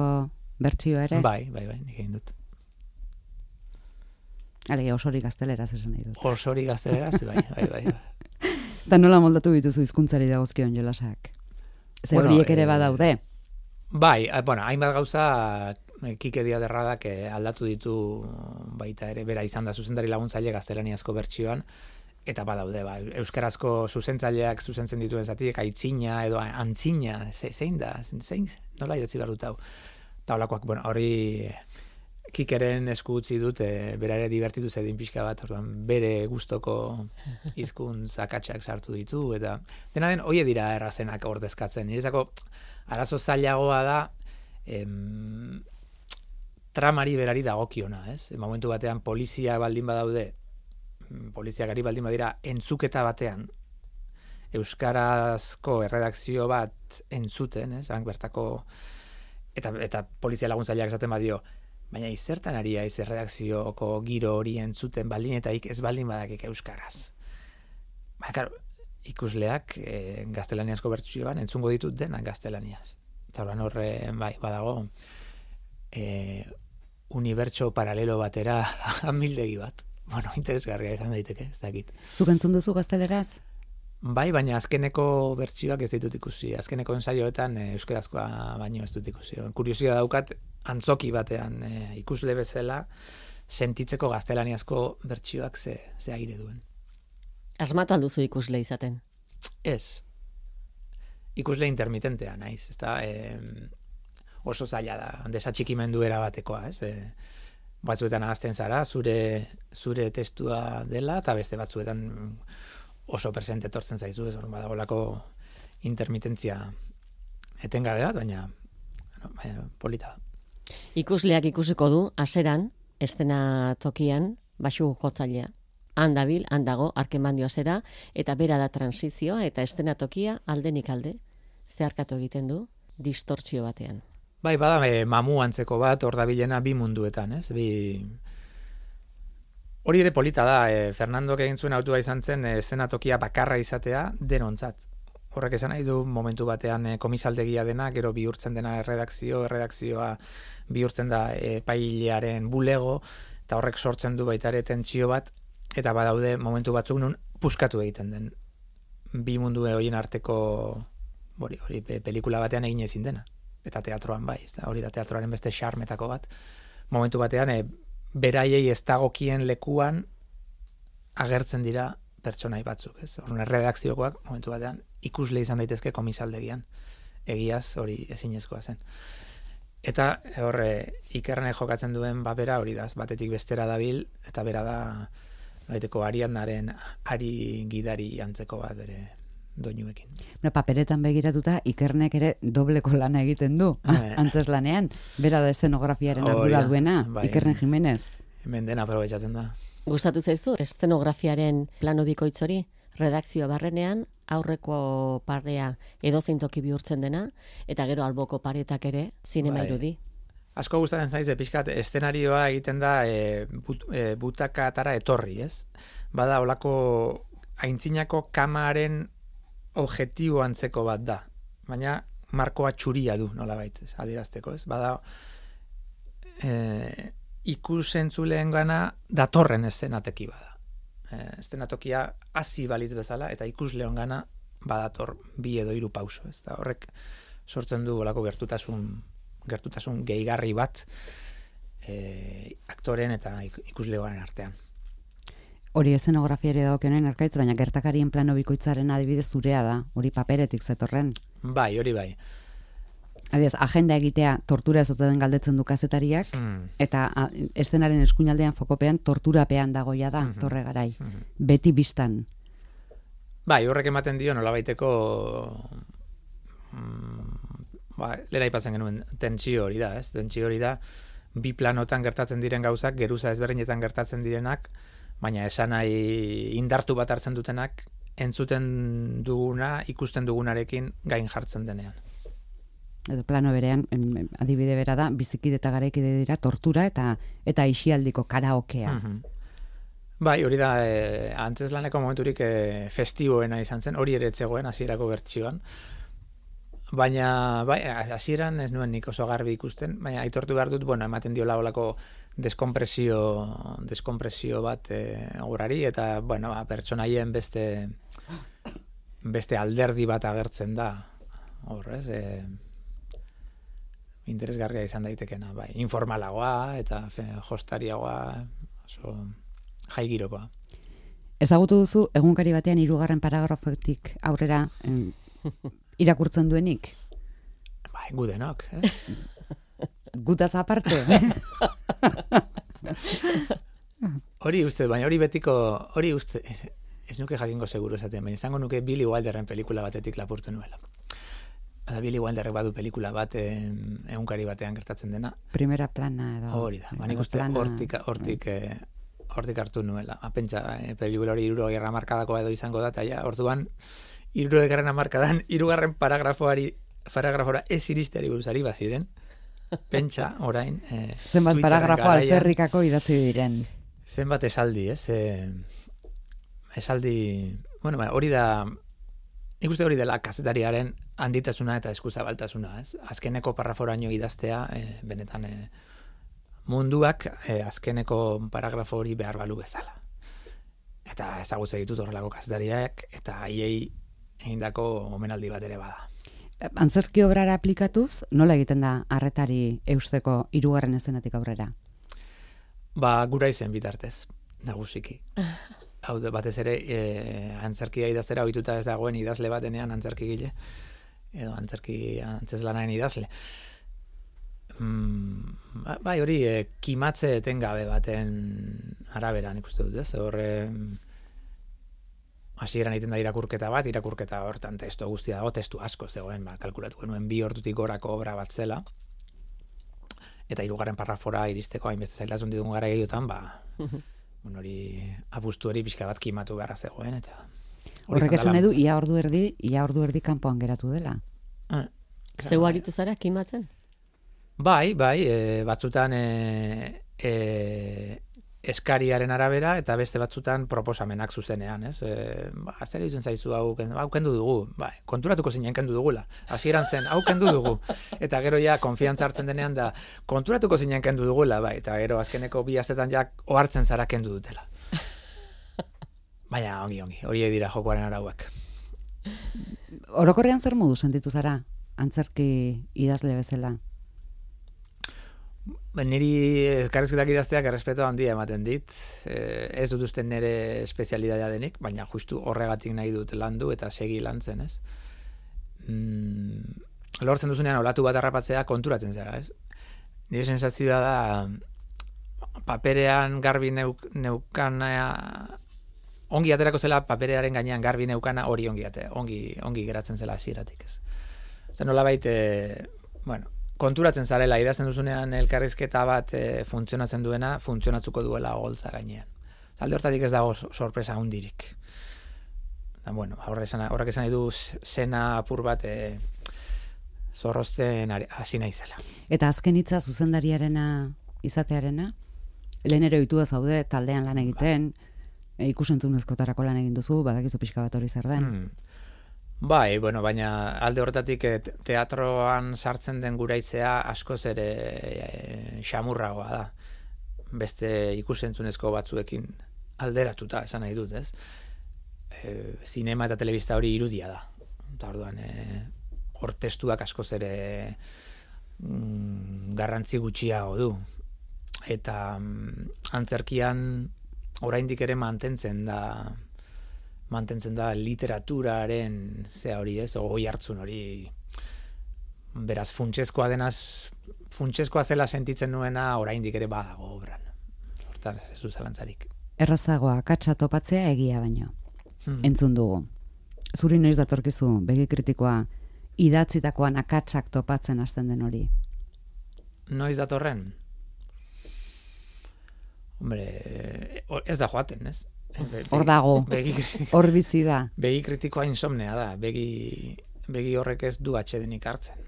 bertsioa ere? Bai, bai, bai, nik egin dut. Alegi, osori gazteleraz esan nahi dut. Osori gazteleraz, bai, bai, bai. bai. Eta nola moldatu dituzu hizkuntzari dagozkion jolasak? Ze bueno, horiek ere eh, badaude? Bai, bueno, hainbat gauza Kike Diaderradak aldatu ditu baita ere, bera izan da zuzendari laguntzaile gaztelaniazko bertsioan, eta badaude, ba, euskarazko zuzentzaileak zuzentzen dituen zatiek, aitzina edo antzina, ze, zein da, zein, nola idatzi behar dut hau. Eta holakoak, bueno, hori Kikeren esku utzi dut, e, bera ere divertitu zedin pixka bat, orduan bere gustoko hizkuntz akatsak sartu ditu, eta dena den, hoie dira errazenak ordezkatzen. Niretzako arazo zailagoa da, em, tramari berari dagokiona, ez? Momentu batean polizia baldin badaude, poliziak ari baldin badira entzuketa batean, euskarazko erredakzio bat entzuten, ez? Hank bertako, eta, eta polizia laguntzaileak esaten badio, baina izertan ari aiz erredakzioko giro hori entzuten baldin eta ik ez baldin badakik euskaraz. Baina, karo, ikusleak e, gaztelaniazko bertsioan entzungo ditut denak gaztelaniaz. Eta horren horre, bai, badago, e, unibertso paralelo batera amildegi bat. Bueno, interesgarria izan daiteke, ez dakit. Zuk entzun duzu gazteleraz? Bai, baina azkeneko bertsioak ez ditut ikusi. Azkeneko ensaioetan e, euskarazkoa baino ez dut ikusi. Kuriosia daukat, antzoki batean e, ikusle bezala sentitzeko gaztelaniazko bertsioak ze, ze aire duen. Asmatu alduzu ikusle izaten? Ez. ikusle intermitentea naiz, ezta e, oso zaila da, desatxikimendu erabatekoa, ez? E, batzuetan ahazten zara, zure zure testua dela, eta beste batzuetan oso presente etortzen zaizu, ez hor badagolako intermitentzia etengabe bat, baina no, baina, polita da. Ikusleak ikusiko du, aseran, estena tokian, baxu jotzailea. Han dabil, han dago, arkemandio zera, eta bera da transizioa, eta estena tokia aldenik alde, zeharkatu egiten du, distortzio batean. Bai, bada, e, mamu antzeko bat, hor dabilena bi munduetan, ez? Bi... Hori ere polita da, e, Fernandok egin zuen autua izan zen, e, estena tokia bakarra izatea denontzat. Horrek esan nahi du momentu batean e, komisaldegia dena, gero bihurtzen dena erredakzio, erredakzioa bihurtzen da epailearen bulego, eta horrek sortzen du baita ere tentsio bat, eta badaude momentu batzuk nun puskatu egiten den. Bi mundu horien arteko hori, hori pelikula batean egin ezin dena. Eta teatroan bai, hori da teatroaren beste xarmetako bat. Momentu batean, e, beraiei ez dagokien lekuan agertzen dira pertsonai batzuk, ez? Horren erredakziokoak momentu batean ikusle izan daitezke komisaldegian. Egiaz hori ezinezkoa zen. Eta horre Ikernek jokatzen duen babera hori da, batetik bestera dabil, eta bera da baiteko Ariadnaren ari gidari antzeko bat bere doinuekin. Bueno, paperetan begiratuta Ikernek ere dobleko lana egiten du, eh. antzes lanean. Bera da eszenografiaren ardura duena, bai, Ikerne Jimenez. Hemen dena aprobetxatzen da. Gustatu zaizu eszenografiaren plano bikoitz hori? Redakzio barrenean, aurreko parea edozein toki bihurtzen dena, eta gero alboko paretak ere zinema bai. irudi. Asko gustatzen zaiz, pixkat, eszenarioa egiten da e, but, e, butakatara etorri, ez? Bada, olako aintzinako kamaren objektibo antzeko bat da, baina markoa txuria du, nolabait, adierazteko, ez? Bada, e, ikusentzuleen gana datorren eszenateki bada. E, eszenatokia hasi balitz bezala, eta ikusleon gana badator bi edo hiru pauso, ez? Da, horrek sortzen du olako gertutasun gertutasun gehigarri bat e, aktoren eta ikuslegoaren artean. Hori eszenografiari dagokionen Arkaitz, baina gertakarien plano bikoitzaren adibidez zurea da, hori paperetik zetorren. Bai, hori bai. Adiez, agenda egitea tortura ez ote den galdetzen du kazetariak, mm. eta a, eszenaren eskuinaldean fokopean torturapean dagoia da, mm-hmm. torre garai. Mm-hmm. Beti bistan. Bai, horrek ematen dio nolabaiteko mm, ba, lera ipatzen genuen tentsio hori da, ez? Tentsio hori da, bi planotan gertatzen diren gauzak, geruza ezberdinetan gertatzen direnak, baina esan nahi indartu bat hartzen dutenak, entzuten duguna, ikusten dugunarekin gain jartzen denean. Edo plano berean, adibide bera da, bizikide eta garaikide dira tortura eta eta isialdiko karaokea. Mm-hmm. Bai, hori da, e, antzeslaneko momenturik e, festiboena izan zen, hori ere etzegoen hasierako bertsioan. Baina, bai, hasieran ez nuen nik oso garbi ikusten, baina aitortu behar dut, bueno, ematen diola olako deskompresio, deskompresio bat e, aurrari, eta, bueno, ba, pertsonaien beste beste alderdi bat agertzen da, hor, ez, e, interesgarria izan daitekena, bai, informalagoa eta fe, jostariagoa, oso jaigirokoa. Ezagutu duzu, egunkari batean hirugarren paragrafotik aurrera em, irakurtzen duenik? Bai, gudenok, eh? Gutaz aparte. Hori uste, baina hori betiko, hori uste, ez, ez nuke jakingo seguro esaten, baina izango nuke Billy Wilderren pelikula batetik lapurtu nuela. Eta Billy Wilderrek badu pelikula bat egunkari batean gertatzen dena. Primera plana edo. Hori da, baina uste hortik, hortik, eh, hortik hartu nuela. Apentsa, eh, pelikula hori hirurogei hamarkadakoa edo izango da, eta ja, orduan, hirurogei hamarkadan, hirugarren paragrafoari, paragrafora ez iristeari buruzari baziren, pentsa, orain, eh, zenbat paragrafo alferrikako idatzi diren. Zenbat esaldi, ez? Eh, esaldi, bueno, hori da, ikuste hori dela kazetariaren handitasuna eta eskuzabaltasuna, ez? Azkeneko parraforaino idaztea, eh, benetan eh, munduak eh, azkeneko paragrafo hori behar balu bezala. Eta ezagutze ditut horrelako kazetariak, eta haiei egindako omenaldi bat ere bada. Antzerki obrara aplikatuz, nola egiten da arretari eusteko hirugarren eszenatik aurrera? Ba, gura izen bitartez, nagusiki. Hau batez ere, e, antzerkia idaztera ohituta ez dagoen idazle batenean antzerkigile. edo antzerki antzezlanaren idazle. Mm, bai, hori e, kimatze etengabe baten arabera nik uste dut, ez? Horre hasieran egiten da irakurketa bat, irakurketa hortan testu guztia dago, testu asko zegoen, ba, kalkulatu genuen bi ordutik gorako obra bat zela, eta hirugarren parrafora iristeko hainbeste zailtasun ditugun gara gehiotan, ba, bon, hori apustu hori pixka bat kimatu beharra zegoen, eta horrek esan edu, ia ordu erdi, ia ordu erdi kanpoan geratu dela. Eh, Zeu aritu zara kimatzen? Bai, bai, e, batzutan e, e, eskariaren arabera eta beste batzutan proposamenak zuzenean, ez? E, ba, zer egiten zaizu hau, hau kendu dugu, bai, konturatuko zinen kendu dugula. Hasieran zen, hau kendu dugu. Eta gero ja konfiantza hartzen denean da, konturatuko zinen kendu dugula, bai, eta gero azkeneko bi astetan ja ohartzen zara kendu dutela. Baina, ongi, ongi, horiek dira jokoaren arauak. Orokorrean zer modu sentitu zara, antzerki idazle bezala? Niri elkarrizketak idazteak errespeto handia ematen dit. Eh, ez dut uste nire espezialidadea denik, baina justu horregatik nahi dut landu eta segi lantzen, ez? Mm, lortzen duzunean olatu bat harrapatzea konturatzen zara, ez? Nire sensazioa da paperean garbi neuk, neukana ongi aterako zela paperearen gainean garbi neukana hori ongi ate, ongi, ongi geratzen zela hasieratik, ez? Zer nolabait, eh, bueno, konturatzen zarela, idazten duzunean elkarrizketa bat e, funtzionatzen duena, funtzionatzuko duela holtza gainean. Alde hortatik ez dago sorpresa hundirik. Da, bueno, horrek esan nahi du zena apur bat e, zorrozten hasi naizela. Eta azken hitza zuzendariarena izatearena, lehen ere ohitua zaude taldean lan egiten, e, ikusentzunezkotarako lan egin duzu, badakizu pixka bat hori zer den. Hmm. Bai, bueno, baina alde horretatik teatroan sartzen den guraitzea askoz ere e, xamurragoa da. Beste ikusentzunezko batzuekin alderatuta, esan nahi dut, ez? E, zinema eta telebista hori irudia da. Eta orduan, e, hor testuak askoz ere mm, garrantzi gutxiago du. Eta mm, antzerkian oraindik ere mantentzen da mantentzen da literaturaren zea hori, ez, ogoi hartzun hori, beraz, funtsezkoa denaz, funtsezkoa zela sentitzen nuena oraindik ere badago obran. Hortaz, ez du zalantzarik. Errazagoa, akatsa topatzea egia baino. Hmm. Entzun dugu. Zuri noiz datorkizu, begi kritikoa, idatzitakoan akatsak topatzen hasten den hori? Noiz datorren? Hombre, ez da joaten, ez? Hor dago, hor bizi da. Begi kritikoa insomnea da, begi, begi horrek ez du atsedenik hartzen.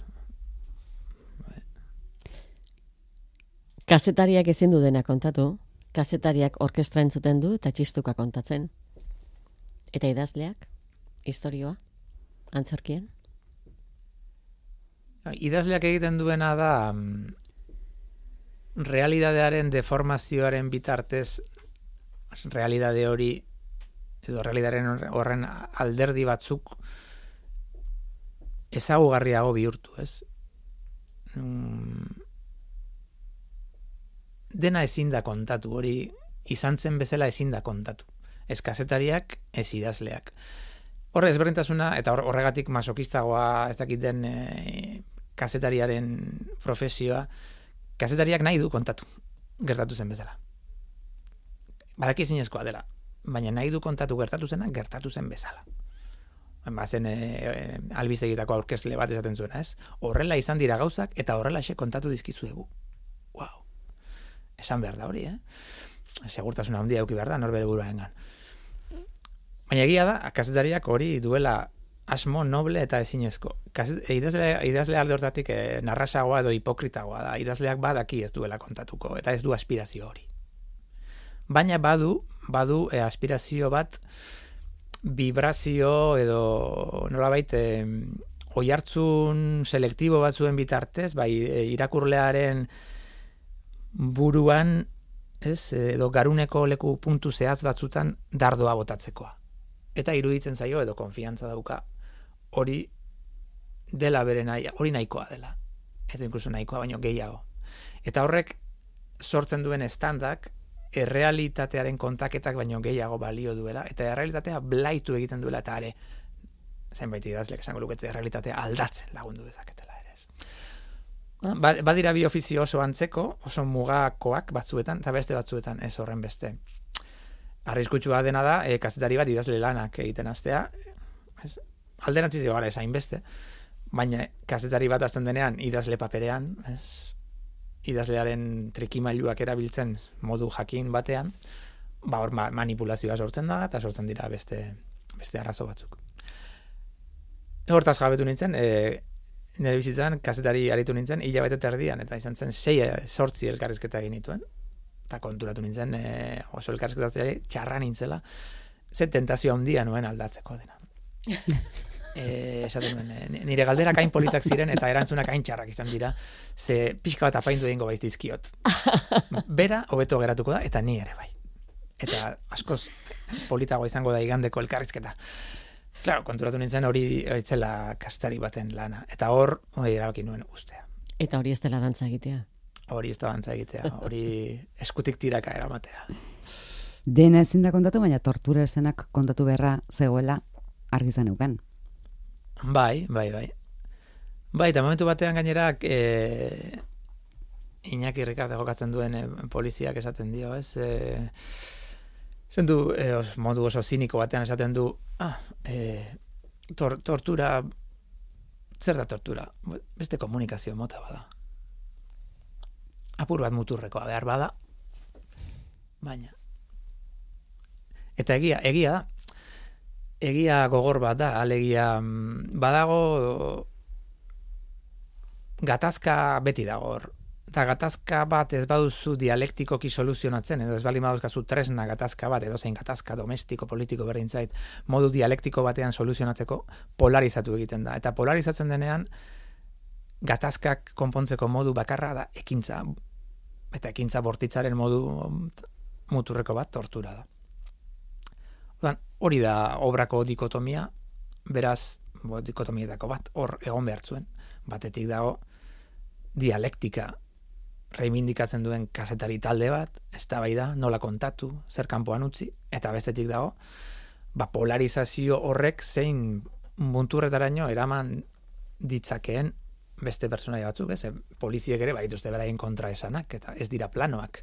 Kazetariak ezin du dena kontatu, kazetariak orkestra entzuten du eta txistuka kontatzen. Eta idazleak, istorioa, antzerkien? Idazleak egiten duena da realidadearen deformazioaren bitartez realidade hori edo realidaren horren alderdi batzuk ezagugarriago bihurtu, ez? Mm, dena ezin da kontatu, hori izan zen bezala ezin da kontatu. Ez kazetariak, ez idazleak. Horre ezberdintasuna, eta horregatik masokistagoa ez dakit den e, kazetariaren profesioa, kazetariak nahi du kontatu, gertatu zen bezala. Badaki ezinezkoa dela, baina nahi du kontatu gertatu zena, gertatu zen bezala. Bazen e, e, albistegitako aurkezle bat esaten zuena, ez? Horrela izan dira gauzak, eta horrela xe kontatu dizkizuegu. Wow. Esan behar da hori, eh? Segurtasuna handia eduki behar da, norbere buruarengan. Baina egia da, kazetariak hori duela asmo noble eta ezinezko. Idazle, idazle alde hortatik e, narrasagoa edo hipokritagoa da. Idazleak badaki ez duela kontatuko, eta ez du aspirazio hori. Baina badu, badu e, aspirazio bat vibrazio edo nolabait e, oihartzun selektibo batzuen bitartez, bai e, irakurlearen buruan, ez, edo garuneko leku puntu zehaz batzutan dardoa botatzekoa. Eta iruditzen zaio edo konfiantza dauka hori dela bere nahi, hori nahikoa dela. Edo inkluso nahikoa baino gehiago. Eta horrek sortzen duen estandak errealitatearen kontaketak baino gehiago balio duela, eta errealitatea blaitu egiten duela, eta are, zenbait idazlek esango lukete realitatea aldatzen lagundu dezaketela ere ez. Ba, badira bi ofizio oso antzeko, oso mugakoak batzuetan, eta beste batzuetan ez horren beste. Arriskutsua dena da, e, kazetari bat idazle lanak egiten hastea, ez, alderantziz gara ez hainbeste, baina kazetari bat azten denean idazle paperean, ez, idazlearen trikimailuak erabiltzen modu jakin batean, ba hor manipulazioa sortzen da, eta sortzen dira beste, beste arazo batzuk. Hortaz jabetu nintzen, e, nire bizitzan kazetari aritu nintzen, hilabete terdian, eta izan zen sei sortzi elkarrizketa egin nituen, eta konturatu nintzen e, oso elkarrizketatzea txarra nintzela, ze tentazio handia nuen aldatzeko dena. E, esaten duen, e, nire galderak hain politak ziren eta erantzunak hain txarrak izan dira, ze pixka bat apaindu egingo baitizkiot. Bera, hobeto geratuko da, eta ni ere bai. Eta askoz politagoa izango da igandeko elkarrizketa. Claro, konturatu nintzen hori horitzela kastari baten lana. Eta hor, hori erabaki nuen ustea. Eta hori ez dela dantza egitea. Hori ez da dantza egitea. Hori eskutik tiraka eramatea. Dena ezin da kontatu, baina tortura esenak kontatu beharra zegoela argi zeneuken. Bai, bai, bai. Bai, eta momentu batean gainera e, Iñaki Ricardo jokatzen duen e, poliziak esaten dio, ez? E, Zendu, eh, modu oso ziniko batean esaten du, ah, eh, tor, tortura, zer da tortura? Beste komunikazio mota bada. Apur bat muturrekoa behar bada, baina. Eta egia, egia da, egia gogor bat da, alegia badago gatazka beti dago hor. Eta gatazka bat ez baduzu dialektikoki soluzionatzen, edo ez bali baduzkazu tresna gatazka bat, edo zein gatazka domestiko, politiko berdin zait, modu dialektiko batean soluzionatzeko, polarizatu egiten da. Eta polarizatzen denean, gatazkak konpontzeko modu bakarra da ekintza. Eta ekintza bortitzaren modu muturreko bat tortura da. Odan, hori da obrako dikotomia, beraz, bo, dikotomietako bat, hor egon behar zuen. Batetik dago, dialektika reivindikatzen duen kazetari talde bat, eztabaida, nola kontatu, zer kanpoan utzi, eta bestetik dago, ba polarizazio horrek zein munturretaraino eraman ditzakeen beste pertsonaia batzuk, ez? Poliziek ere badituzte beraien kontraesanak, eta ez dira planoak.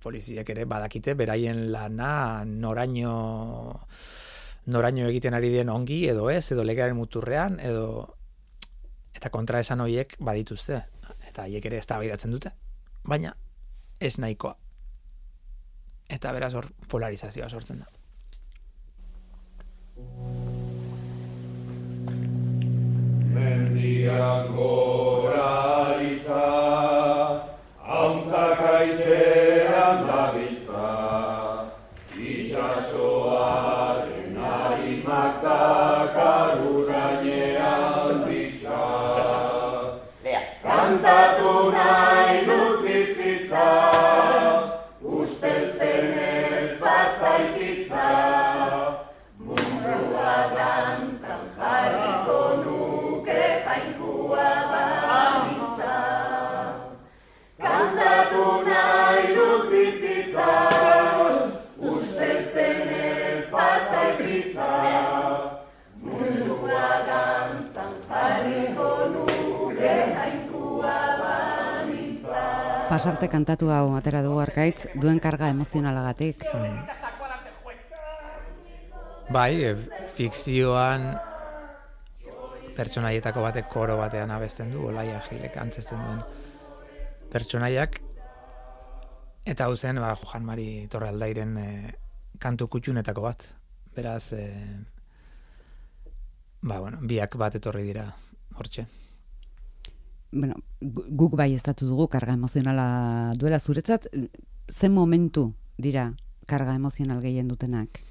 Poliziek ere badakite beraien lana noraino noraino egiten ari den ongi, edo ez, edo legearen muturrean, edo eta kontraesan horiek badituzte. Eta haiek ere eztabaidatzen dute, baina ez nahikoa. Eta beraz hor polarizazioa sortzen da. Mendiak gora aritza, hauntzak aizean dabiltza, itxasoaren harimak dakaru gainean bitxa. Kantatu nahi dut bizitza, usteltzen ez bazaititza, mundua dantzan jarriko nuke jainkoa banitza. Kantatu nahi dut bizitza, usteltzen ez bazaititza, mundua dantzan jarriko nuke jainkoa. Pasarte kantatu hau atera dugu Arkaitz, duen karga emozionalagatik. Bai, fikzioan pertsonaietako batek koro batean abesten du, Olaia Gilek antzesten duen pertsonaiak, eta hau zen, ba, Joan Mari Torrealdairen e, kantu kutxunetako bat. Beraz, e, ba, bueno, biak bat etorri dira hortxe. Bueno, guk bai estatu dugu karga emozionala duela zuretzat, zen momentu dira karga emozional gehien dutenak?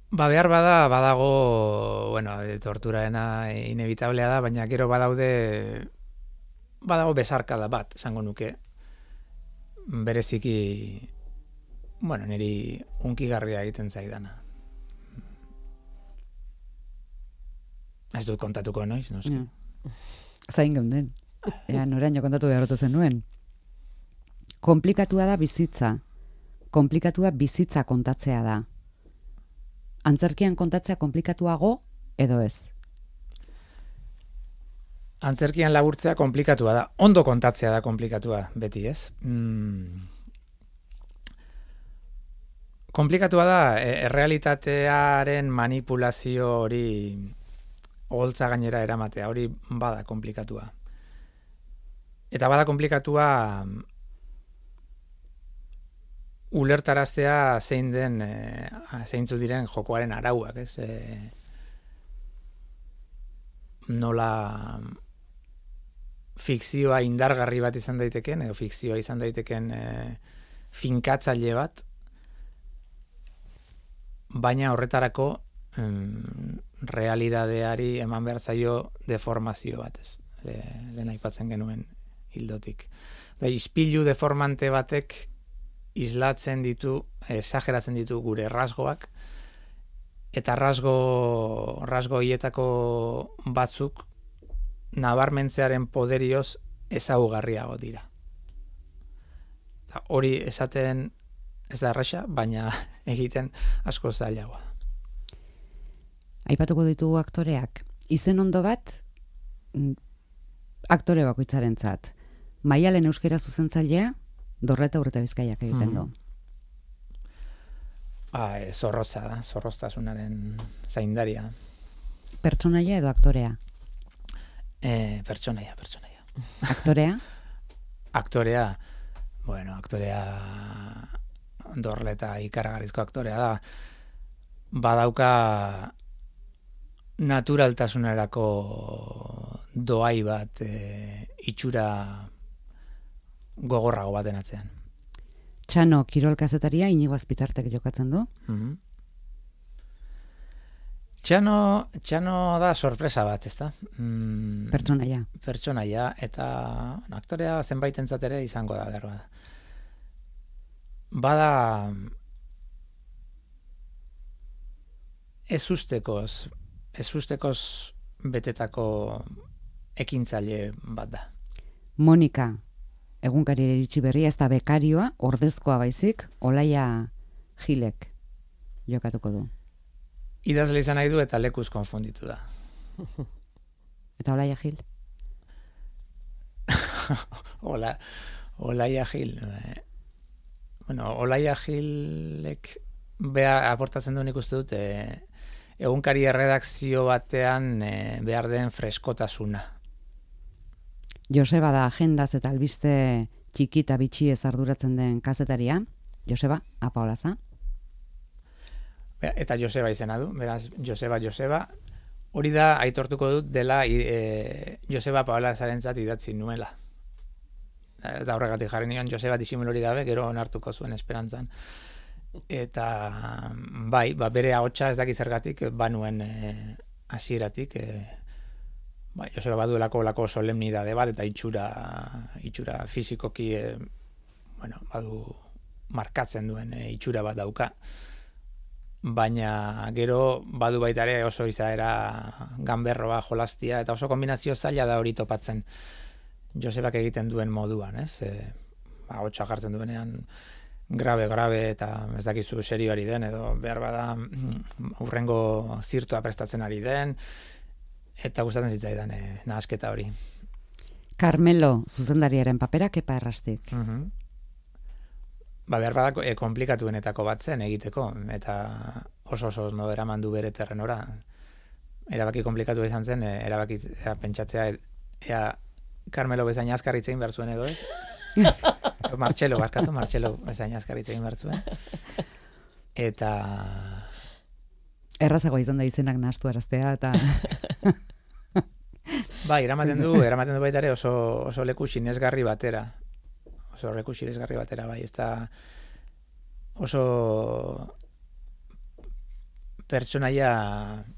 Ba, behar bada, badago, bueno, torturaena inevitablea da, baina gero badaude, badago besarkada bat, esango nuke, bereziki, bueno, niri hunkigarria egiten zaidana. Ez dut kontatuko noiz, no sé. Ja. Zain geunden. Ea, noraino kontatu beharrotu zenuen. Komplikatua da bizitza. Komplikatua bizitza kontatzea da. Antzerkian kontatzea komplikatuago edo ez? Antzerkian laburtzea komplikatua da. Ondo kontatzea da komplikatua, beti, ez? Mm. Komplikatua da, errealitatearen manipulazio hori oholtza gainera eramatea, hori bada komplikatua. Eta bada komplikatua ulertaraztea zein den, e, zeintzu diren jokoaren arauak, ez? E, nola fikzioa indargarri bat izan daiteken, edo fikzioa izan daiteken e, finkatzaile bat, baina horretarako em, realidadeari eman behar zaio deformazio bat, ez? Le, lehen aipatzen genuen hildotik. Da, ispilu deformante batek islatzen ditu, esageratzen ditu gure rasgoak, eta rasgo, rasgo hietako batzuk nabarmentzearen poderioz ezaugarriago dira. Eta hori esaten ez da erresa, baina egiten asko zailagoa. Aipatuko ditugu aktoreak. Izen ondo bat, aktore bakoitzarentzat. Maialen euskera zuzentzailea, Dorreta Urreta Bizkaiak egiten du. Ba, e, zorrotza da, zorroztasunaren zaindaria. Pertsonaia edo aktorea? E, pertsonaia, pertsonaia. Aktorea? Aktorea, bueno, aktorea Dorreta ikaragarrizko aktorea da. Badauka naturaltasunerako doai bat, e, itxura gogorrago baten atzean. Txano kirol kazetaria Inigo Azpitartek jokatzen du. Mm-hmm. Txano, Txano da sorpresa bat, ezta? Mm, pertsonaia. Pertsonaia, eta aktorea zenbaitentzat ere izango da behar bada. Bada ez ustekoz, ez ustekoz betetako ekintzaile bat da. Monika, egunkari iritsi berria, ez da bekarioa, ordezkoa baizik, Olaia Gilek jokatuko du. Idazle izan nahi du eta lekuz konfunditu da. Eta Olaia Gil? Ola, Olaia Gil. Bueno, Olaia Gilek behar aportatzen du nik uste dut, e, egunkari erredakzio batean e, behar den freskotasuna. Joseba da agendaz eta albiste txiki eta bitxi ez arduratzen den kazetaria. Joseba, apa olaza? Eta Joseba izena du, beraz, Joseba, Joseba, hori da aitortuko dut dela e, Joseba Paolazarentzat idatzi nuela. Eta horregatik jarri nion Joseba disimulori gabe, gero onartuko zuen esperantzan. Eta bai, ba, bere ahotsa ez daki zergatik, banuen hasieratik, e, bai, Joseba baduelako lako solemnidade bat, eta itxura, itxura fizikoki, e, bueno, badu markatzen duen e, itxura bat dauka. Baina gero badu baita ere oso izaera ganberroa, jolastia, eta oso kombinazio zaila da hori topatzen Josebak egiten duen moduan, ez? E, ba, hotxa jartzen duenean grabe, grabe, eta ez dakizu serioari den, edo behar bada hurrengo zirtua prestatzen ari den, eta gustatzen zitzaidan e, nahasketa hori. Carmelo, zuzendariaren papera, Kepa Errastik. Uh-huh. Ba, behar bada e, komplikatuenetako bat zen egiteko, eta oso oso no eraman du bere terrenora. Erabaki komplikatu izan zen, e, erabaki ea, pentsatzea, ea Carmelo bezain azkarritzein behar zuen edo ez? Martxelo, barkatu, Martxelo bezain azkarritzein behar zuen. Eta... Errazago izan da izenak nahastu araztea, eta... Ba, eramaten du, eramaten du baita ere oso, oso leku sinesgarri batera. Oso leku sinesgarri batera, bai, ez da oso pertsonaia,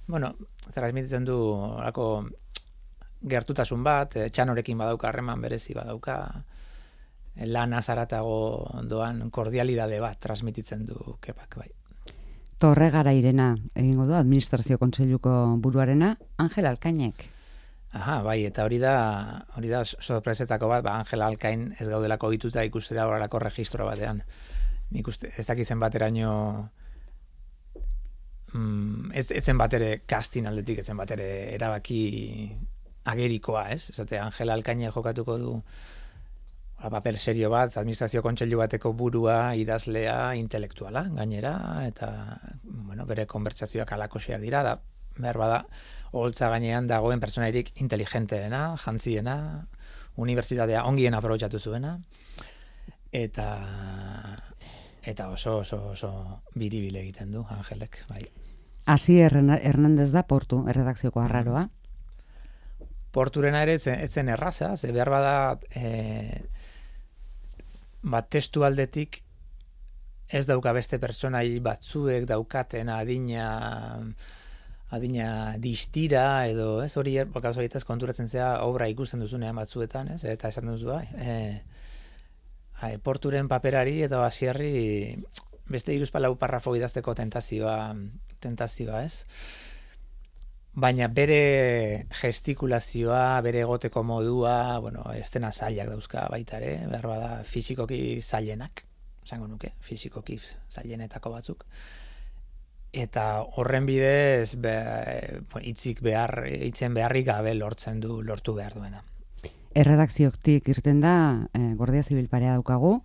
bueno, transmititzen du orako gertutasun bat, Txanorekin badauka harreman berezi badauka, lan azaratago doan kordialidade bat transmititzen du Kepak, bai. Torregara Irena egingo du administrazio kontseiluko buruarena, Angel Alkainek. Aha, bai, eta hori da, hori da sorpresetako bat, ba, Angel Alkain ez gaudelako ohituta ikustera horrelako registro batean. Nik uste, ez dakizen bateraino mm, ez, etzen bat ere casting aldetik, etzen bat ere erabaki agerikoa, ez? Esate, Angela Alkaine jokatuko du paper serio bat, administrazio kontseilu bateko burua, idazlea, intelektuala, gainera, eta, bueno, bere konbertsazioak alakoseak dira, da, behar bada, oholtza gainean dagoen pertsonairik inteligenteena, jantziena, unibertsitatea ongien aprobetxatu zuena, eta eta oso, oso, oso biribile egiten du, Angelek, bai. Asier Hernandez da Portu, erredakzioko arraroa. Porturena ere etzen, etzen erraza, ze behar bada e, bat testu aldetik ez dauka beste pertsonai batzuek daukaten adina adina distira edo ez hori gauza horietaz konturatzen zea obra ikusten duzunean batzuetan, ez? Eta esan duzu bai. E, e, Porturen paperari edo Asierri beste hiruzpalau parrafo idazteko tentazioa tentazioa, ez? Baina bere gestikulazioa, bere egoteko modua, bueno, estena zailak dauzka baita ere, behar bada fisikoki zailenak, esango nuke, fisikoki zailenetako batzuk. Eta horren bidez be, hitzik behar, hitzen beharrik gabe lortzen du, lortu behar duena. Erredakzioktik irten da, eh, Guardia Zibil parea daukagu,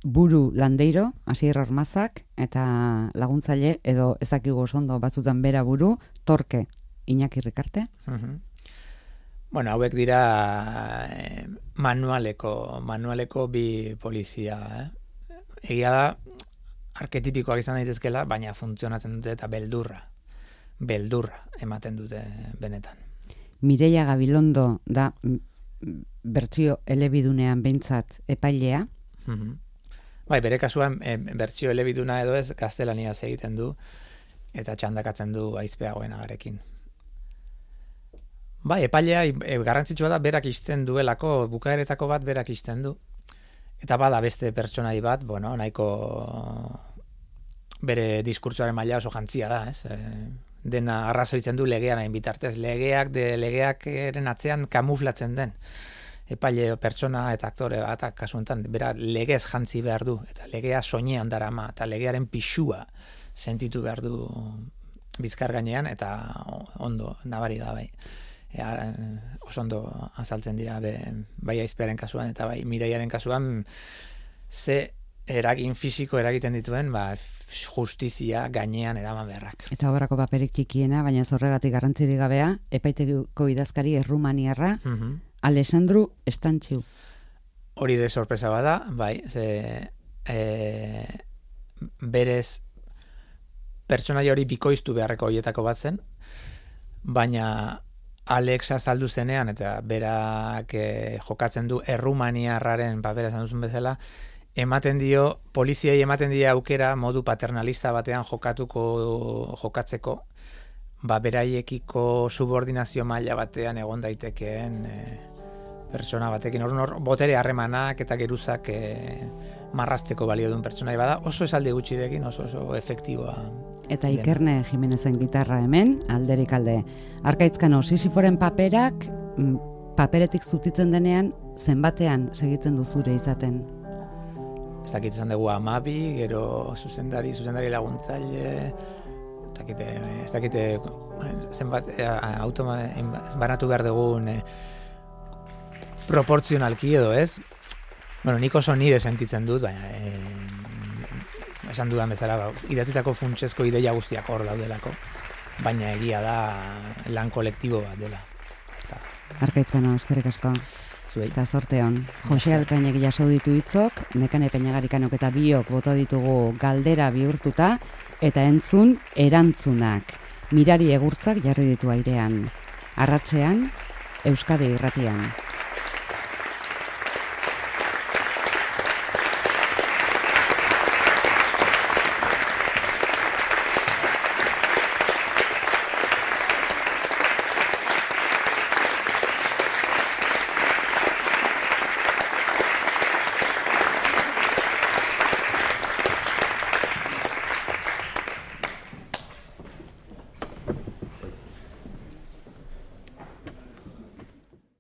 buru Landeiro, Asier Ormazak, eta laguntzaile, edo ez dakigu ondo batzutan bera buru, Torke, Iñaki Rikarte. Uh-huh. Bueno, hauek dira eh, manualeko, manualeko bi polizia. Eh? Egia da, arketipikoak izan daitezkela, baina funtzionatzen dute eta beldurra, beldurra ematen dute benetan. Mireia Gabilondo da bertsio elebidunean behintzat epailea. Mm-hmm. Bai, bere kasuan e, bertsio elebiduna edo ez gaztelaniaz egiten du eta txandakatzen du aizpeagoen agarekin. Bai, epailea e, garrantzitsua da berak isten duelako, bukaeretako bat berak isten du. Eta bada beste pertsonai bat, bueno, nahiko bere diskurtsoaren maila oso jantzia da, ez? E, dena arrazoitzen du legean hain bitartez. Legeak, de legeak eren atzean kamuflatzen den. Epaile pertsona eta aktore bat kasu honetan, bera legez jantzi behar du, eta legea soinean darama, eta legearen pixua sentitu behar du bizkar gainean, eta ondo, nabari da bai. E, oso ondo azaltzen dira be, bai aizpearen kasuan, eta bai Miraiaren kasuan, ze eragin fisiko eragiten dituen, ba, justizia gainean eraman beharrak. Eta obrako paperik txikiena, baina zorregatik garrantzirik gabea, epaitegiko idazkari errumaniarra, mm-hmm. Alessandru Estantxiu. Hori de sorpresa bada, bai, ze, e, berez pertsonai hori bikoiztu beharreko horietako bat zen, baina Alex azaldu zenean, eta berak e, jokatzen du errumaniarraren papera esan duzun bezala, ematen dio, poliziei ematen dio aukera modu paternalista batean jokatuko, jokatzeko, ba, beraiekiko subordinazio maila batean egon daitekeen e, pertsona batekin. Hor, hor botere harremanak eta geruzak e, marrasteko balio duen pertsonai bada, oso esaldi gutxirekin, oso oso efektiboa. Eta Ikerne Jimenezen gitarra hemen, alderik alde. Arkaitzkano, Sisiforen paperak, paperetik zutitzen denean, zenbatean segitzen duzure izaten? Ez dakit izan dugu amabi, gero zuzendari, zuzendari laguntzaile, ez dakite, ez dakite zenbat automa, banatu behar dugun e, proportzionalki edo ez. Bueno, nik oso nire sentitzen dut, baina e, esan dudan bezala, idatzitako funtsezko ideia guztiak hor daudelako, baina egia da lan kolektibo bat dela. Eta... Arkaitzkano, eskerrik asko. Zuei. Eta zorte hon. Jose Alkainek jaso ditu hitzok, Nekane Peñagarikanok eta biok bota ditugu galdera bihurtuta, eta entzun erantzunak. Mirari egurtzak jarri ditu airean. Arratsean, Euskadi Irratian.